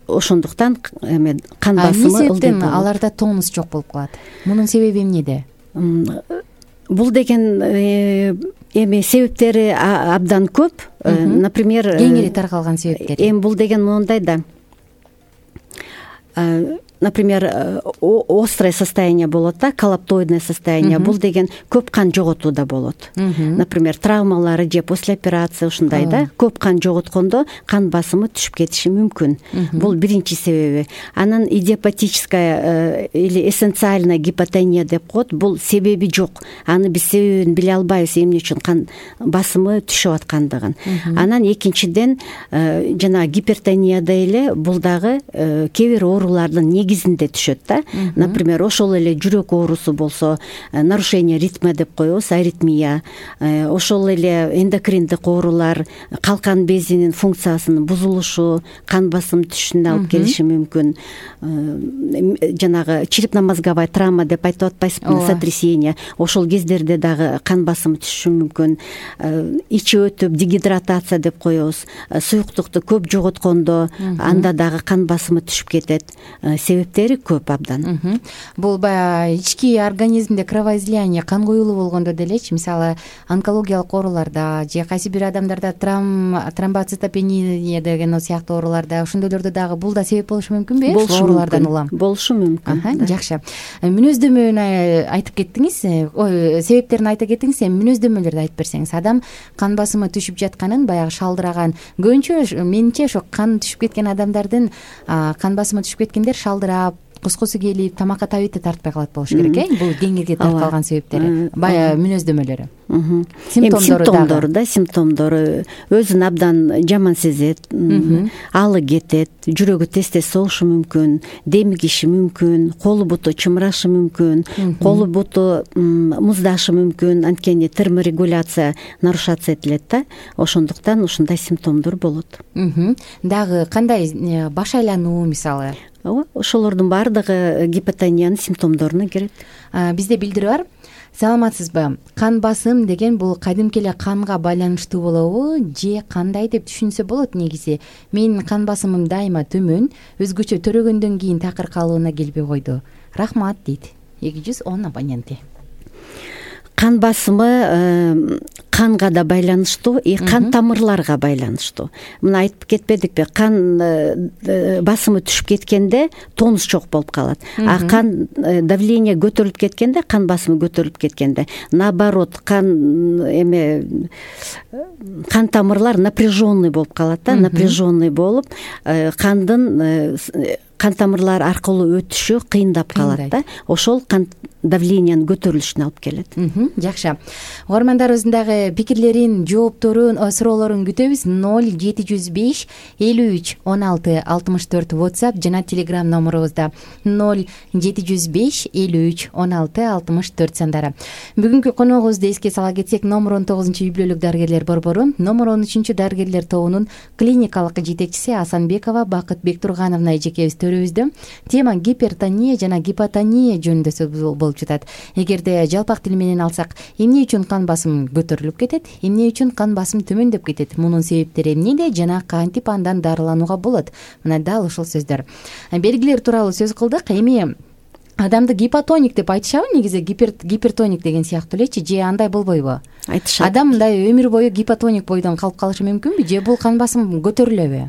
ошондуктан кан басымы ылдый болот. Аларда тонус жок болуп калат. Мунун себеби эмнеде? Бул деген эми себептери абдан көп. Например, кеңири таркалган себептери. Эми бул деген моундай да. Например, острое состояние болот да, коллаптоидное состояние. Бул деген көп кан жоготууда болот. Например, травмалары же после операция ушундай да, көп кан жоготкондо кан басымы түшүп кетиши мүмкүн. Бул биринчи себеби. Анан идиопатическая или эссенциальная гипотония деп коет. Бул себеби жок. Аны биз себебин биле албайбыз, эмне үчүн кан басымы түшүп аткандыгын. Анан экинчиден жана гипертонияда эле бул дагы кээ бир оорулардын негизинде түшөт да. Например, ошол эле жүрөк оорусу болсо, нарушение ритма деп коебуз, аритмия, ошол эле эндокриндик оорулар, калкан безинин функциясынын бузулушу, кан басым түшүшүнө алып келиши мүмкүн. Жанагы черепно-мозговая травма деп айтып атпайсызбы, сотрясение, ошол кездерде дагы кан басымы түшүшү мүмкүн. Ичи өтүп дегидратация деп коебуз, суюктукту көп жоготкондо анда дагы кан басымы түшүп кетет. Себептери көп абдан. Бул баягы ички организмде кровоизлияние, кан куюлуу болгондо делечи, мисалы онкологиялык ооруларда же кайсы бир адамдарда тромбоцитопения деген сыяктуу ооруларда, ошондойлордо дагы бул да себеп болушу мүмкүнбү? Ушул оорулардан улам болушу мүмкүн. Жакшы. Мүнөздөмөнү айтып кеттиңиз, себептерин айтып кеттиңиз, мүнөздөмөлөрдү айтып берсеңиз. Адам кан басымы түшүп жатканын, баягы шалдыраган, көбүнчө менимче ошо кан түшүп кеткен адамдардын кан басымы түшүп кеткендер шалдырап, кускусу келип, тамакка табити тартпай калат болуш керек, бул кеңирге таркалган себептери, баягы мүнөздөмөлөрү. Симптомдору да, симптомдору өзүн абдан жаман сезет, алы кетет, жүрөгү тез-тез соғушу мүмкүн, демигиши мүмкүн, колу буту чымырашы мүмкүн, колу буту муздашы мүмкүн, анткени терморегуляция нарушаться этилет да, ошондуктан ушундай симптомдор болот. Дагы кандай баш айлануу мисалы? Ошолордун баардыгы гипотониянын симптомдоруна кирет. Бизде билдирүү бар. Саламатсызбы? Кан басым деген бул кадимки эле канга байланыштуу болобу же кандай деп түшүнсө болот негизи? Менин кан басымым дайыма төмөн, өзгөчө төрөгөндөн кийин такыр калыбына келбей койду. Рахмат дейт 210 абоненти. Кан басымы канга да байланыштуу, кан тамырларга байланыштуу. Мына айтып кетпедикпи, кан басымы түшүп кеткенде тонус жок болуп калат. А кан давление көтөрүлүп кеткенде, кан басымы көтөрүлүп кеткенде, наоборот, кан тамырлар напряженный болуп калат да, напряженный болуп, кан тамырлар аркылуу өтүшү кыйындап калат да. Ошол кан давлениянын көтөрүлүшүнө алып келет. Жакшы. Угармандарыбыздын дагы пикирлерин, жоопторун, суроолорун күтөбүз. 0705 53 16 64 WhatsApp жана Telegram номерубузда 0705 53 16 64 сандары. Бүгүнкү коногубузду эске сала кетсек, номер 19 үй-бүлөлүк дарыгерлер борбору, номер 13 дарыгерлер тобунун клиникалык жетекчиси Асанбекова Бакыт Бектургановна эжекебиз төрүбүздө. Тема гипертония жана гипотония жөнүндө сөз болуп жатат. Эгерде жалпак тил менен алсак, эмне үчүн кан басым көтөрүлүп кетет, эмне үчүн кан басым төмөндөп кетет, мунун себептери эмнеде жана кантип андан дарыланууга болот? Мына дал ушул сөздөр. Белгилер тууралуу сөз кылдык. Эми адамды гипотоник деп айтышабы негизи, гипертоник деген сыяктуу элечи, же андай болбойбу? Айтышат. Адам мындай өмүр бою гипотоник бойдон калып калышы мүмкүнбү, же бул кан басым көтөрүлөбү?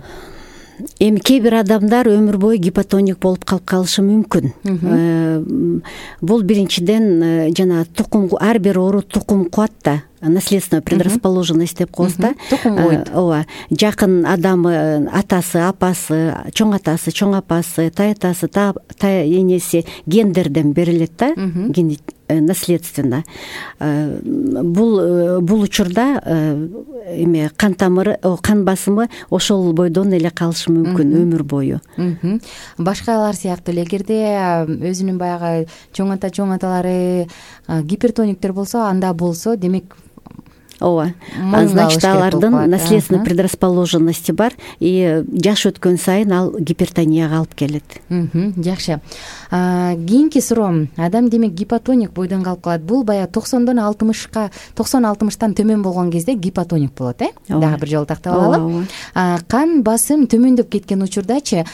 Эми кээ бир адамдар өмүр бою гипотоник болуп калып калышы мүмкүн. Бул биринчиден жана тукум, ар бир оору тукум куат да, наследственная предрасположенность деп коебуз да. Ооба, жакын адамы, атасы, апасы, чоң атасы, чоң апасы, тайатасы, тай энеси гендерден берилет да, наследственно. Бул учурда эме кан тамыры, кан басымы ошол бойдон эле калышы мүмкүн өмүр бою. Башкалар сыяктуу эле, эгерде өзүнүн баягы чоң аталары гипертониктер болсо, анда болсо, демек ооба, значит алардын наследственный предрасположенности бар, и жаш өткөн сайын ал гипертонияга алып келет. Жакшы. Кийинки суроом, адам демек гипотоник бойдон калып калат. Бул баягы 90-60тан төмөн болгон кезде гипотоник болот, Дагы бир жолу тактап алалы. Кан басым төмөндөп кеткен учурдачы,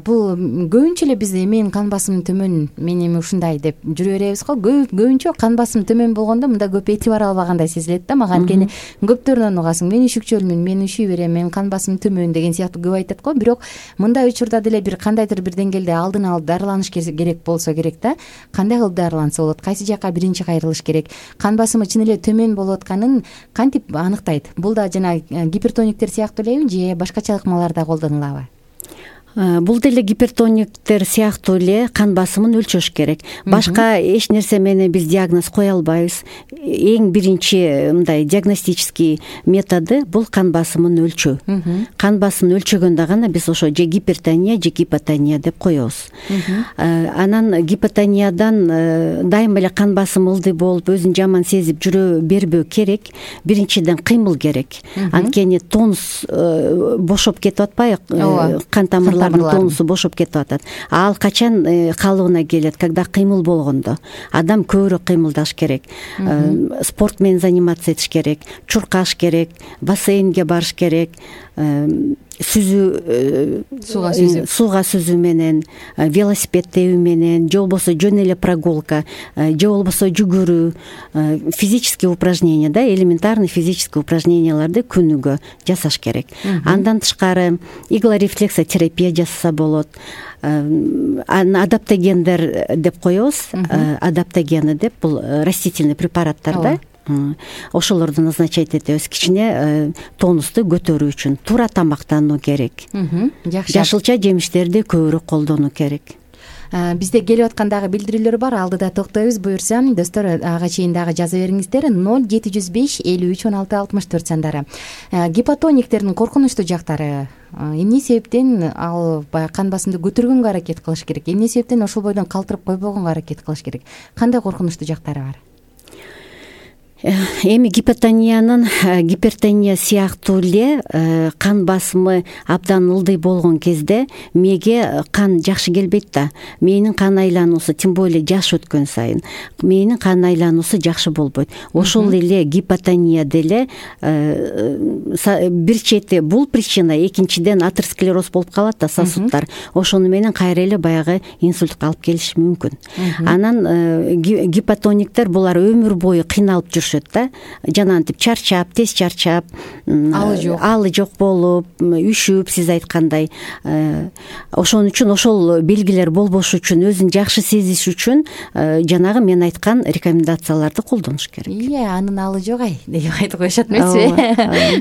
бул көбүнчө эле биз мен кан басымым төмөн, мен эми ушундай деп жүрө беребиз го. Көбүнчө кан басым төмөн болгондо мында көп этибар албагандай сезилет да мага. Анткени көптөрүнөн угасың, мен үшүкчөлмүн, мен ушуй берем, мен кан басым төмөн деген сыяктуу көп айтат го. Бирок мындай учурда деле бир кандайдыр бир деңгээлде алдын алып дарыланыш керек болсо керек да. Кандай кылып дарыланса болот? Кайсы жака биринчи кайрылыш керек? Кан басымы чын эле төмөн болуп атканын кантип аныктайт? Бул да жана гипертониктер сыяктуу элеби, же башкача ыкмалар да колдонулабы? Бул деле гипертониктер сыяктуу эле кан басымын өлчөш керек. Башка эч нерсе менен биз диагноз кое албайбыз. Эң биринчи мындай диагностический методу бул кан басымын өлчөө. Кан басымын өлчөгөндө гана биз ошо же гипертония, же гипотония деп коебуз. Анан гипотониядан дайыма эле кан басым ылдый болуп, өзүн жаман сезип жүрө бербөө керек. Биринчиден кыймыл керек. Анткени тонус бошоп кетип атпайбы? Кан тамырлар тонусу бошоп кетип атат. Ал качан калыбына келет? Когда кыймыл болгондо. Адам көбүрөөк кыймылдаш керек. Спорт менен заниматься этиш керек, чуркаш керек, бассейнге барыш керек, сууга сүзүү менен, велосипед тебүү менен, же болбосо жөн эле прогулка, же болбосо жүгүрүү, физические упражнения да, элементарный физические упражненияларды күнүгө жасаш керек. Андан тышкары иглорефлексотерапия жасаса болот. Адаптогендер деп коебуз. Адаптогены деп бул растительный препараттар да. Ошолорду назначать этебиз кичине тонусту көтөрүү үчүн. Туура тамактануу керек. Жашылча жемиштерди көбүрөөк колдонуу керек. Бизде келип аткан дагы билдирүүлөр бар, алдыда токтойбуз. Буюрса, достор, ага чейин дагы жаза бериңиздер. 0705 53 16 64 сандары. Гипотониктердин коркунучтуу жактары эмне себептен ал баягы кан басымды көтөргөнгө аракет кылыш керек? Эмне себептен ошол бойдон калтырып койбогонго аракет кылыш керек? Кандай коркунучтуу жактары бар? Эми гипотониянын гипертония сыяктуу эле кан басымы абдан ылдый болгон кезде мээге кан жакшы келбейт да. Мээнин кан айлануусу, тем более жаш өткөн сайын мээнин кан айлануусу жакшы болбойт. Ошол эле гипотония деле бир чети бул причина, экинчиден атеросклероз болуп калат да, сосудтар. Ошону менен кайра эле баягы инсультка алып келиши мүмкүн. Анан гипотониктер булар өмүр бою кыйналып жүрүшөт да, жанагынтип чарчап, тез чарчап, алы жок болуп, үшүп, сиз айткандай. Ошон үчүн ошол белгилер болбош үчүн, өзүн жакшы сезиш үчүн жанагы мен айткан рекомендацияларды колдонуш керек. Анын алы жок деп айтып коюшат эмеспи?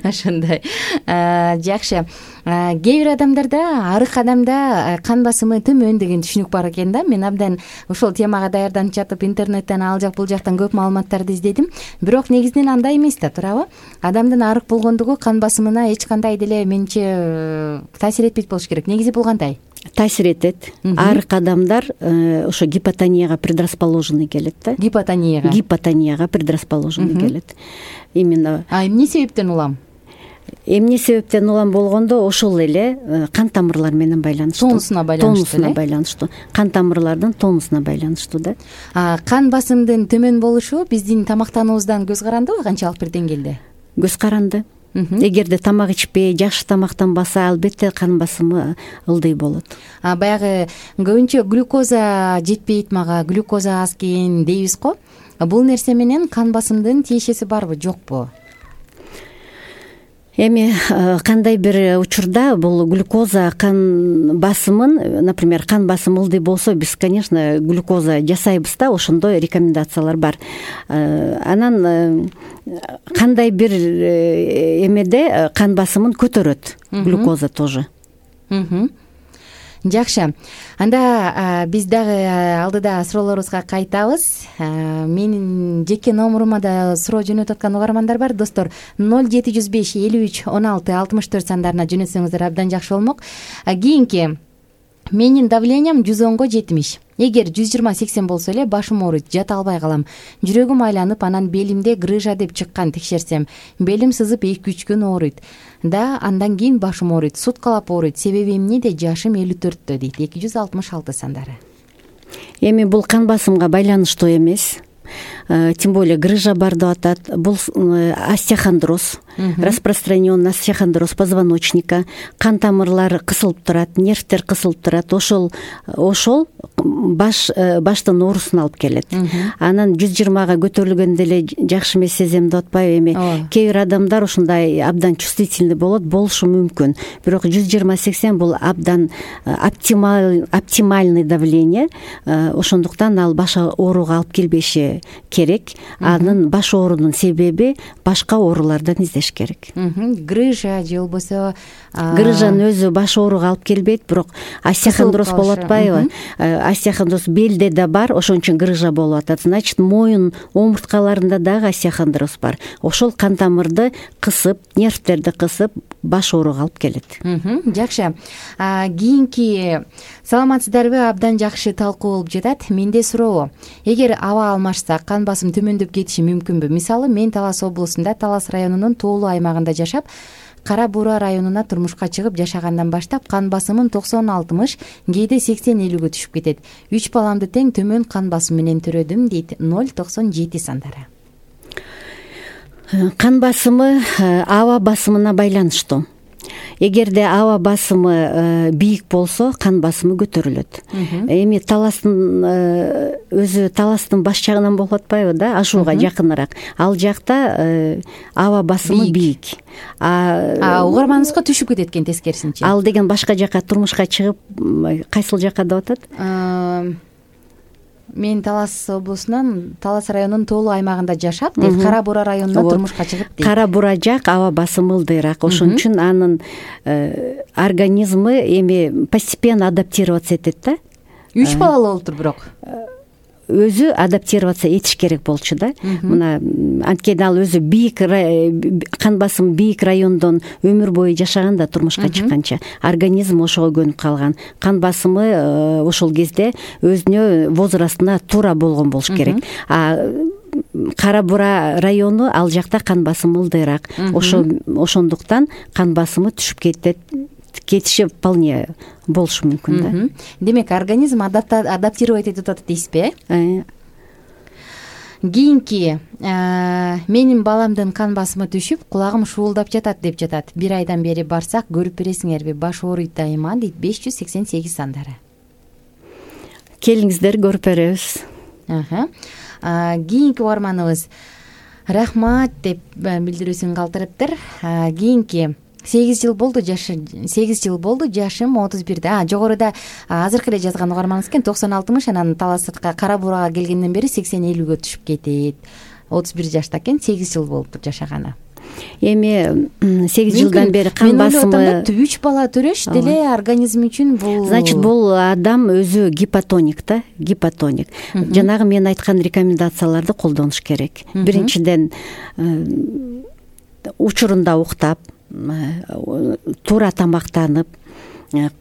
Ошондой. Жакшы. Кээ бир адамдарда, арык адамда кан басымы төмөн деген түшүнүк бар экен да. Мен абдан ошол темага даярданып жатып интернеттен ал жак бул жактан көп маалыматтарды издедим. Бирок негизинен андай эмес да, туурабы? Адамдын арык болгондугу кан басымына эч кандай деле менче таасир этпейт болуш керек. Негизи бул кандай? Таасир этет. Арык адамдар ошо гипотонияга предрасположенный келет да. Гипотонияга предрасположенный келет. Именно. Эмне себептен улам? Эмне себептен улам болгондо ошол эле кан тамырлар менен байланыштуу. Тонусуна байланыштуу. Кан тамырлардын тонусуна байланыштуу да. Кан басымдын төмөн болушу биздин тамактануубуздан көз карандыбы, канчалык бир деңгээлде? Көз каранды. эгерде тамак ичпей жакшы тамактанбаса, албетте кан басымы ылдый болот. Баягы көбүнчө глюкоза жетпейт, мага глюкоза аз экен дейбиз го. Бул нерсе менен кан басымдын тиешеси барбы, жокпу? Эми кандай бир учурда бул глюкоза кан басымын, например, кан басым ылдый болсо, биз, конечно, глюкоза жасайбыз да, ошондой рекомендациялар бар. Анан кандай бир эмеде кан басымын көтөрөт глюкоза тоже. Жакшы. Анда биз дагы алдыда суроолорубузга кайтабыз. Менин жеке номурума да суроо жөнөтүп аткан угармандар бар. Достор, 0705 53 16 64 сандарына жөнөтсөңүздөр абдан жакшы болмок. Кийинки менин давлениям 110го 70. Эгер 120-80 болсо эле башым ооруйт, жата албай калам. Жүрөгүм айланып, анан белимде грыжа деп чыккан, текшерсем. Белим сызып 2-3 күн ооруйт. Андан кийин башым ооруйт, суткалап ооруйт. Себеби эмнеде? Жашым 54-тө дейт. 266 сандары. Эми бул кан басымга байланыштуу эмес. Тем более грыжа бар деп атат. Бул остеохондроз, распространенный остеохондроз позвоночника, кан тамырлары кысылып турат, нервтер кысылып турат. Ошол баштын оорусуна алып келет. Анан 120га көтөрүлгөндө эле жакшы эмес сезем деп атпайбы? Эми кээ бир адамдар ушундай абдан чувствительный болушу мүмкүн. Бирок 120-80 бул абдан оптимальный давление. Ошондуктан ал баш ооруга алып келбеши керек. Анын баш оорунун себеби башка оорулардан издеш керек. Грыжа же болбосо грыжанын өзү баш ооруга алып келбейт, бирок остеохондроз болуп атпайбы? Остеохондроз белде да бар, ошон үчүн грыжа болуп атат. Значит, моюн омурткаларында дагы остеохондроз бар. Ошол кан тамырды кысып, нервтерди кысып, баш ооруга алып келет. Жакшы. Кийинки саламатсыздарбы? Абдан жакшы талкуу болуп жатат. Менде суроо. Эгер аба алмашса, кан басым төмөндөп кетиши мүмкүнбү? Мисалы, мен Талас облусунда, Талас районунун тоолуу аймагында жашап, Кара Буура районуна турмушка чыгып жашагандан баштап кан басымым 90-60, кээде 80-50гө түшүп кетет. 3 баламды тең төмөн кан басым менен төрөдүм, дейт. 097 сандары. Кан басымы аба басымына байланыштуу. Эгерде аба басымы бийик болсо, кан басымы көтөрүлөт. Эми Таластын өзү Таластын баш жагынан болуп атпайбы да, Ашууга жакыныраак. Ал жакта аба басымы бийик. Угарманыбызга түшүп кетет экен тескерисинче. Ал деген башка жака турмушка чыгып, кайсыл жака деп атат? Мен Талас облусунан, Талас районунун тоолуу аймагында жашап, Кара Буура районуна турмушка чыгып дейт. Кара Буура жак аба басымы ылдыйраак. Ошон үчүн анын организмы эми постепенно адаптироваться этет да. 3 балалуу болуптур бирок. Өзү адаптироваться этиш керек болчу да. Мына анткени ал өзү бийик кан басым бийик райондон өмүр бою жашаган да, турмушка чыкканча. Организм ошого көнүп калган. Кан басымы ошол кезде өзүнө возрастына туура болгон болуш керек. Кара Буура району, ал жакта кан басымы ылдыйраак. Ошондуктан кан басымы түшүп кетиши вполне болушу мүмкүн да. Демек, организм адаптировать этип атат дейсизби? Кийинки менин баламдын кан басымы түшүп, кулагым шуулдап жатат деп жатат. 1 айдан бери барсак, көрүп бересиңерби? Баш ооруйт дайыма, дейт. 588 сандары. Келиңиздер, көрүп беребиз. Кийинки угарманыбыз рахмат деп билдирүүсүн калтырыптыр. Кийинки 8 жыл болду жашым 31-де. Жогоруда азыркы эле жазган угарманыбыз экен, 90-60, анан Таласытка Кара Буурага келгенден бери 80-50гө түшүп кетет. 31 жашта экен, 8 жыл болуптур жашаганы. Эми 8 жылдан бери кан басымы 3 бала төрөш деле организм үчүн бул. Значит, бул адам өзү гипотоник да, гипотоник. Жанагы мен айткан рекомендацияларды колдонуш керек. Биринчиден, учурунда уктап, туура тамактанып,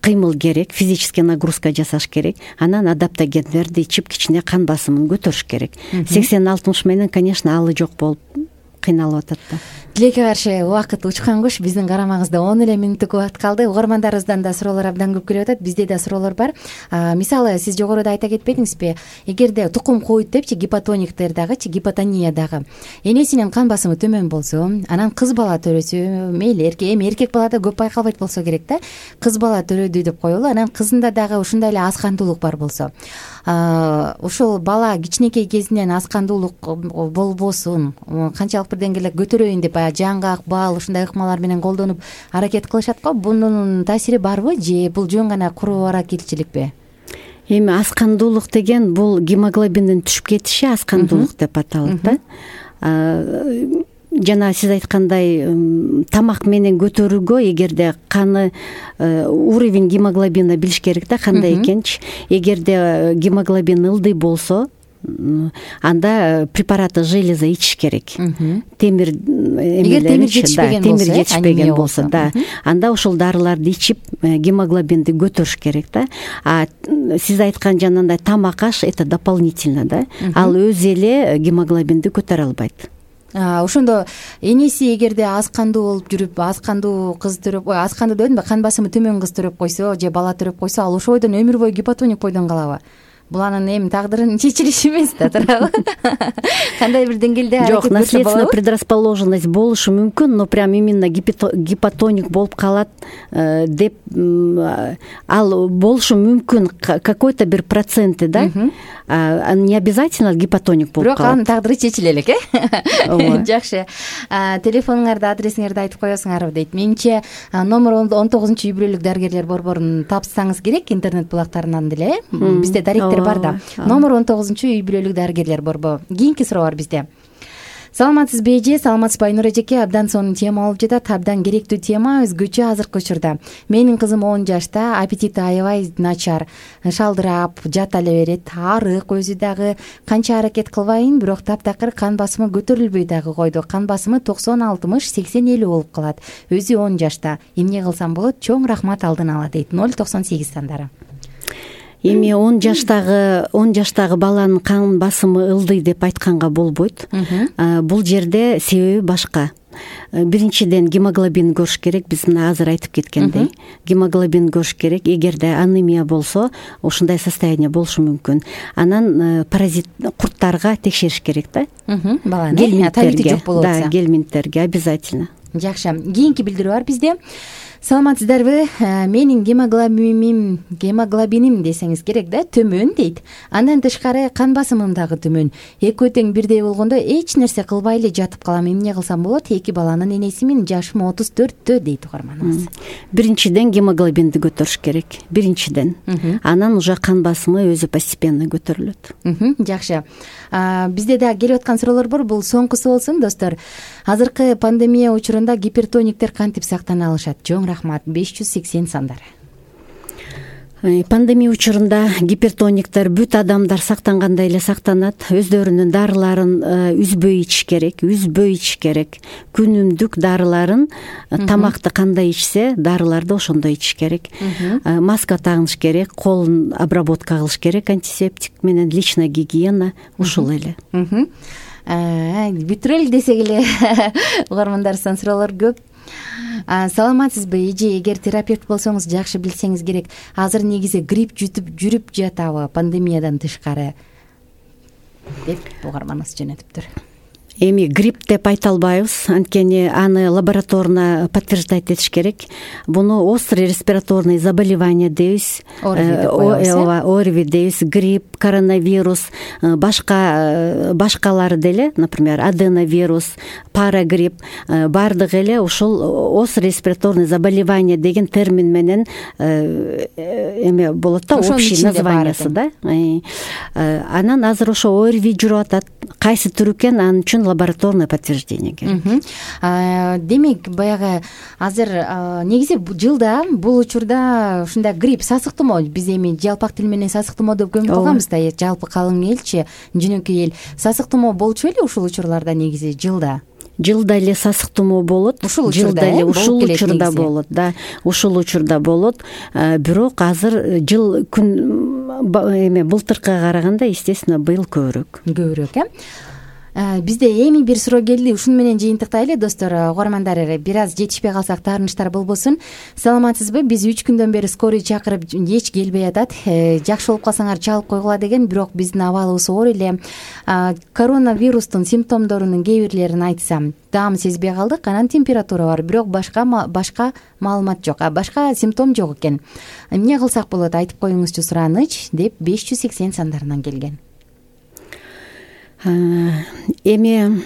кыймыл керек, физический нагрузка жасаш керек. Анан адаптогендерди ичип, кичине кан басымын көтөрүш керек. 80-60 менен, конечно, алы жок болуп кыйналып атат да. Тилекке каршы убакыт учкан куш. Биздин карамагыбызда 10 эле мүнөттүк убакыт калды. Угармандарыбыздан да суроолор абдан көп келип атат. Бизде да суроолор бар. Мисалы сиз жогоруда айта кетпедиңизби? Эгерде тукум коют депчи, гипотониктер дагычы, гипотония дагы энесинин кан басымы төмөн болсо, анан кыз бала төрөсү, мейли эркек балада көп байкалбайт болсо керек да. Кыз бала төрөдү деп коелу. Анан кызында дагы ушундай эле аз кандуулук бар болсо, ушул бала кичинекей кезинен аз кандуулук болбосун, канчалык бир деңгээлде көтөрөйүн деп жаңгак, бал ушундай ыкмалар менен колдонуп аракет кылышат го. Бунун таасири барбы же бул жөн гана куруу аракетчиликпи? Эми аз кандуулук деген бул гемоглобиндин түшүп кетиши аз кандуулук деп аталат да. Жана сиз айткандай тамак менен көтөрүүгө эгерде каны уровень гемоглобина билиш керек да, кандай экенчи. Эгерде гемоглобин ылдый болсо, анда препараты железа ичиш керек. Темир жетишпеген болсо да, анда ушул дарыларды ичип гемоглобинди көтөрүш керек да. Сиз айткан жанагындай тамак аш это дополнительно да. Ал өзү эле гемоглобинди көтөрө албайт. Ошондо энеси эгерде аз кандуу болуп жүрүп, аз кандуу кыз төрөп, аз кандуу дедимби, кан басымы төмөн кыз төрөп койсо же бала төрөп койсо, ал ошо бойдон өмүр бою гипотоник бойдон калабы? Бул анын эми тагдырынын чечилиши эмес да, туурабы? Кандай бир деңгээлде жок, наследственная предрасположенность болушу мүмкүн, но прям именно гипотоник болуп калат деп ал болушу мүмкүн какой-то бир проценти да. Не обязательно гипотоник болуп калат. Бирок анын тагдыры чечиле элек, Жакшы. Телефонуңарды, адресиңерди айтып коесуңарбы дейт. Менимче номер 19 үй бүлөлүк дарыгерлер борборун тапсаңыз керек интернет булактарынан деле. Бизде даректер бар да. Номер 19 үй бүлөлүк дарыгерлер борбору. Кийинки суроо бар бизде. Саламатсызбы эже, саламатсызбы Айнур эжеке? Абдан сонун тема болуп жатат, абдан керектүү тема, өзгөчө азыркы учурда. Менин кызым 10 жашта, аппетити аябай начар, шалдырап, жата эле берет, арык, өзү дагы канча аракет кылбайын, бирок таптакыр кан басымы көтөрүлбөй дагы койду. Кан басымы 90-60-80-50 болуп калат. Өзү 10 жашта. Эмне кылсам болот? Чоң рахмат алдын ала дейт. 098 сандары. Эми 10 жаштагы баланын кан басымы ылдый деп айтканга болбойт. Бул жерде себеби башка. Биринчиден гемоглобин көрүш керек. Биз мына азыр айтып кеткендей, гемоглобин көрүш керек. Эгерде анемия болсо, ушундай состояние болушу мүмкүн. Анан паразит курттарга текшериш керек да. Баланы табити жок болуп атса. Да, гельминттерге обязательно. Жакшы. Кийинки билдирүү бар бизде. Саламатсыздарбы? Менин гемоглобиним десеңиз керек да, төмөн дейт. Андан тышкары кан басымым дагы төмөн. Экөө тең бирдей болгондо эч нерсе кылбай эле жатып калам. Эмне кылсам болот? 2 баланын энесимин, жашым 34 дейт угарманыбыз. Биринчиден гемоглобинди көтөрүш керек. Биринчиден. Анан уже кан басымы өзү постепенно көтөрүлөт. Жакшы. Бизде да келип аткан суроолор бар. Бул соңкусу болсун, достор. Азыркы пандемия учурунда гипертониктер кантип сактана алышат? Чоң рахмат. 580 сандары. Пандемия учурунда гипертониктер бүт адамдар сактангандай эле сактанат. Өздөрүнүн дарыларын үзбөй ичиш керек. Күнүмдүк дарыларын, тамакты кандай ичсе, дарыларды ошондой ичиш керек. Маска тагыныш керек, колун обработка кылыш керек, антисептик менен, личная гигиена, ушул эле. Бүтүрөлү десек эле угармандарыбыздан суроолор көп. Саламатсызбы эже? Эгер терапевт болсоңуз жакшы билсеңиз керек. Азыр негизи грипп жүрүп жатабы пандемиядан тышкары? Деп угарманыбыз жөнөтүптүр. Эми грипп деп айта албайбыз, анткени аны лабораторно подтверждать этиш керек. Буну острый респираторный заболевание дейбиз, ОРВИ дейбиз, грипп, коронавирус, башкалары деле, например, аденовирус, парагрипп, баардыгы эле ушул острый респираторный заболевание деген термин менен эме болот да, общий названиясы да. Анан азыр ошо ОРВИ жүрүп атат. Кайсы түрү экен, анын үчүн лабораторное подтверждение керек. Демек, баягы азыр негизи жылда бул учурда ушундай грипп, сасык тумоо, биз эми жалпак тил менен сасык тумоо деп көмүп калганбыз да, жалпы калың элчи, жөнөкөй эл. Сасык тумоо болчу беле ушул учурларда негизи жылда эле сасык тумоо болот. Ушул учурда болот, да. Ушул учурда болот. Бирок азыр жыл күн эме былтыркыга караганда, естественно, быйыл көбүрөөк. Бизде эми бир суроо келди, ушуну менен жыйынтыктайлы достор. Угармандар, бир аз жетишпей калсак таарынычтар болбосун. Саламатсызбы? Биз 3 күндөн бери скорый чакырып эч келбей атат. Жакшы болуп калсаңар чалып койгула деген, бирок биздин абалыбыз оор эле. Коронавирустун симптомдорунун кээ бирлерин айтсам, даам сезбей калдык, анан температура бар, бирок башка маалымат жок, башка симптом жок экен. Эмне кылсак болот, айтып коюңузчу сураныч деп 580 сандарынан келген. Эми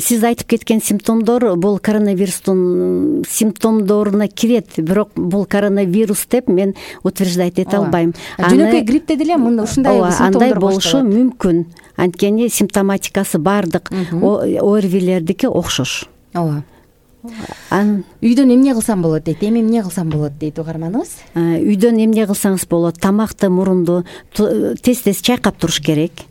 сиз айтып кеткен симптомдор бул коронавирустун симптомдоруна кирет, бирок бул коронавирус деп мен утверждать эте албайм. Жөнөкөй гриппте деле мында ушундай симптомдор андай болушу мүмкүн. Анткени симптоматикасы баардык ОРВИлердики окшош. Ооба. Үйдөн эмне кылсам болот дейт, эми эмне кылсам болот дейт угарманыбыз. Үйдөн эмне кылсаңыз болот? Тамакты, мурунду тез-тез чайкап туруш керек.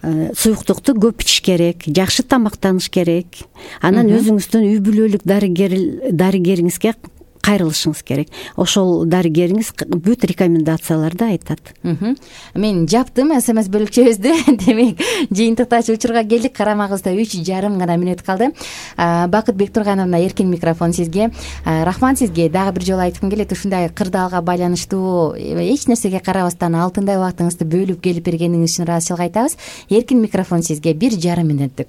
Суюктукту көп ичиш керек, жакшы тамактаныш керек. Анан өзүңүздүн үй бүлөлүк дарыгериңизге кайрылышыңыз керек. Ошол дарыгериңиз бүт рекомендацияларды айтат. Мен жаптым СМС бөлүкчөбүздү. Демек, жыйынтыктачы учурга келдик. Карамагыбызда 3,5 гана мүнөт калды. Бакыт Бектургановна, эркин микрофон сизге. Рахмат сизге. Дагы бир жолу айткым келет, ушундай кырдаалга байланыштуу эч нерсеге карабастан алтындай убактыңызды бөлүп келип бергениңиз үчүн ыраазычылык айтабыз. Эркин микрофон сизге 1,5 мүнөттүк.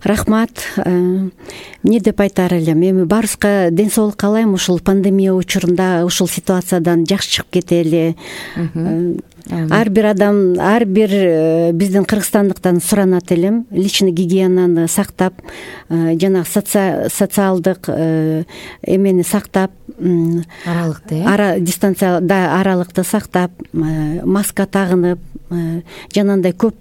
Рахмат. Эмне деп айтаар элем? Эми баарыбызга ден соолук каалайм. Ушул пандемия учурунда ушул ситуациядан жакшы чыгып кетели. Ар бир адам, ар бир биздин кыргызстандыктан суранат элем личный гигиенаны сактап, жанагы социалдык эмени сактап, аралыкты, дистанцияда аралыкты сактап, маска тагынып, жанагындай көп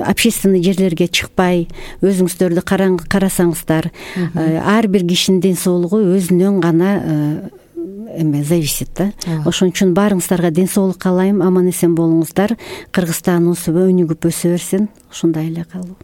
общественный жерлерге чыкпай, өзүңүздөрдү карасаңыздар, ар бир кишинин ден соолугу өзүнөн гана зависит да. Ошон үчүн баарыңыздарга ден соолук каалайм, аман эсен болуңуздар. Кыргызстан өнүгүп өсө берсин. Ушундай эле калуу.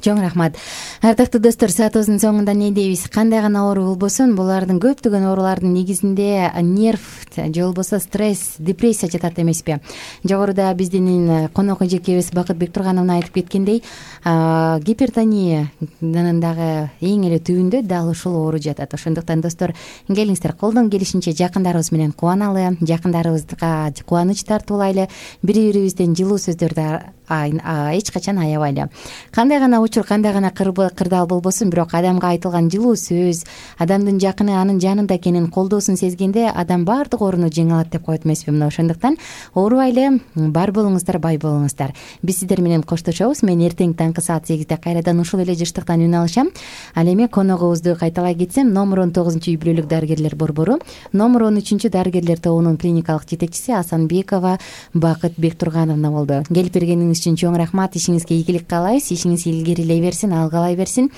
Чоң рахмат. Ардактуу достор, саатыбыздын соңунда не дейбиз? Кандай гана оору болбосун, булардын көптөгөн оорулардын негизинде нерв же болбосо стресс, депрессия жатат эмеспи? Жогоруда биздин конок эжекебиз Бакыт Бектургановна айтып кеткендей, гипертониянын дагы эң эле түбүндө дал ушул оору жатат. Ошондуктан достор, келиңиздер, колдон келишинче жакындарыбыз менен кубаналы, жакындарыбызга кубаныч тартуулайлы, бири-бирибизден жылуу сөздөрдү эч качан аябайлы. Кандай гана учур, кандай гана кырдаал болбосун, бирок адамга айтылган жылуу сөз, адамдын жакыны анын жанында экенин, колдоосун сезгенде адам баардык ооруну жеңе алат деп коет эмеспи? Мына ошондуктан оорубайлы, бар болуңуздар, бай болуңуздар. Биз сиздер менен коштошобуз. Мен эртең таңкы саат 8-де кайрадан ушул эле жыштыктан үн алышам. Ал эми коногубузду кайталай кетсем, номер 19-үй бүлөлүк дарыгерлер борбору, номер 13 дарыгерлер тобунун клиникалык жетекчиси Асанбекова Бакыт Бектургановна болду. Келип бергениңиз үчүн чоң рахмат. Ишиңизге ийгилик каалайбыз. Ишиңиз илгерилей берсин, алгалай берсин.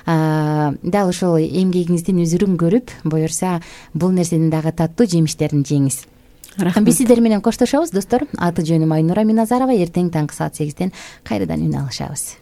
Дал ушул эмгегиңиздин үзүрүн көрүп, буюрса бул нерсенин дагы таттуу жемиштерин жеңиз. Биз сиздер менен коштошобуз достор. Аты жөнүм Айнура Миназарова. Эртең таңкы саат 8-ден кайрадан үн алышабыз.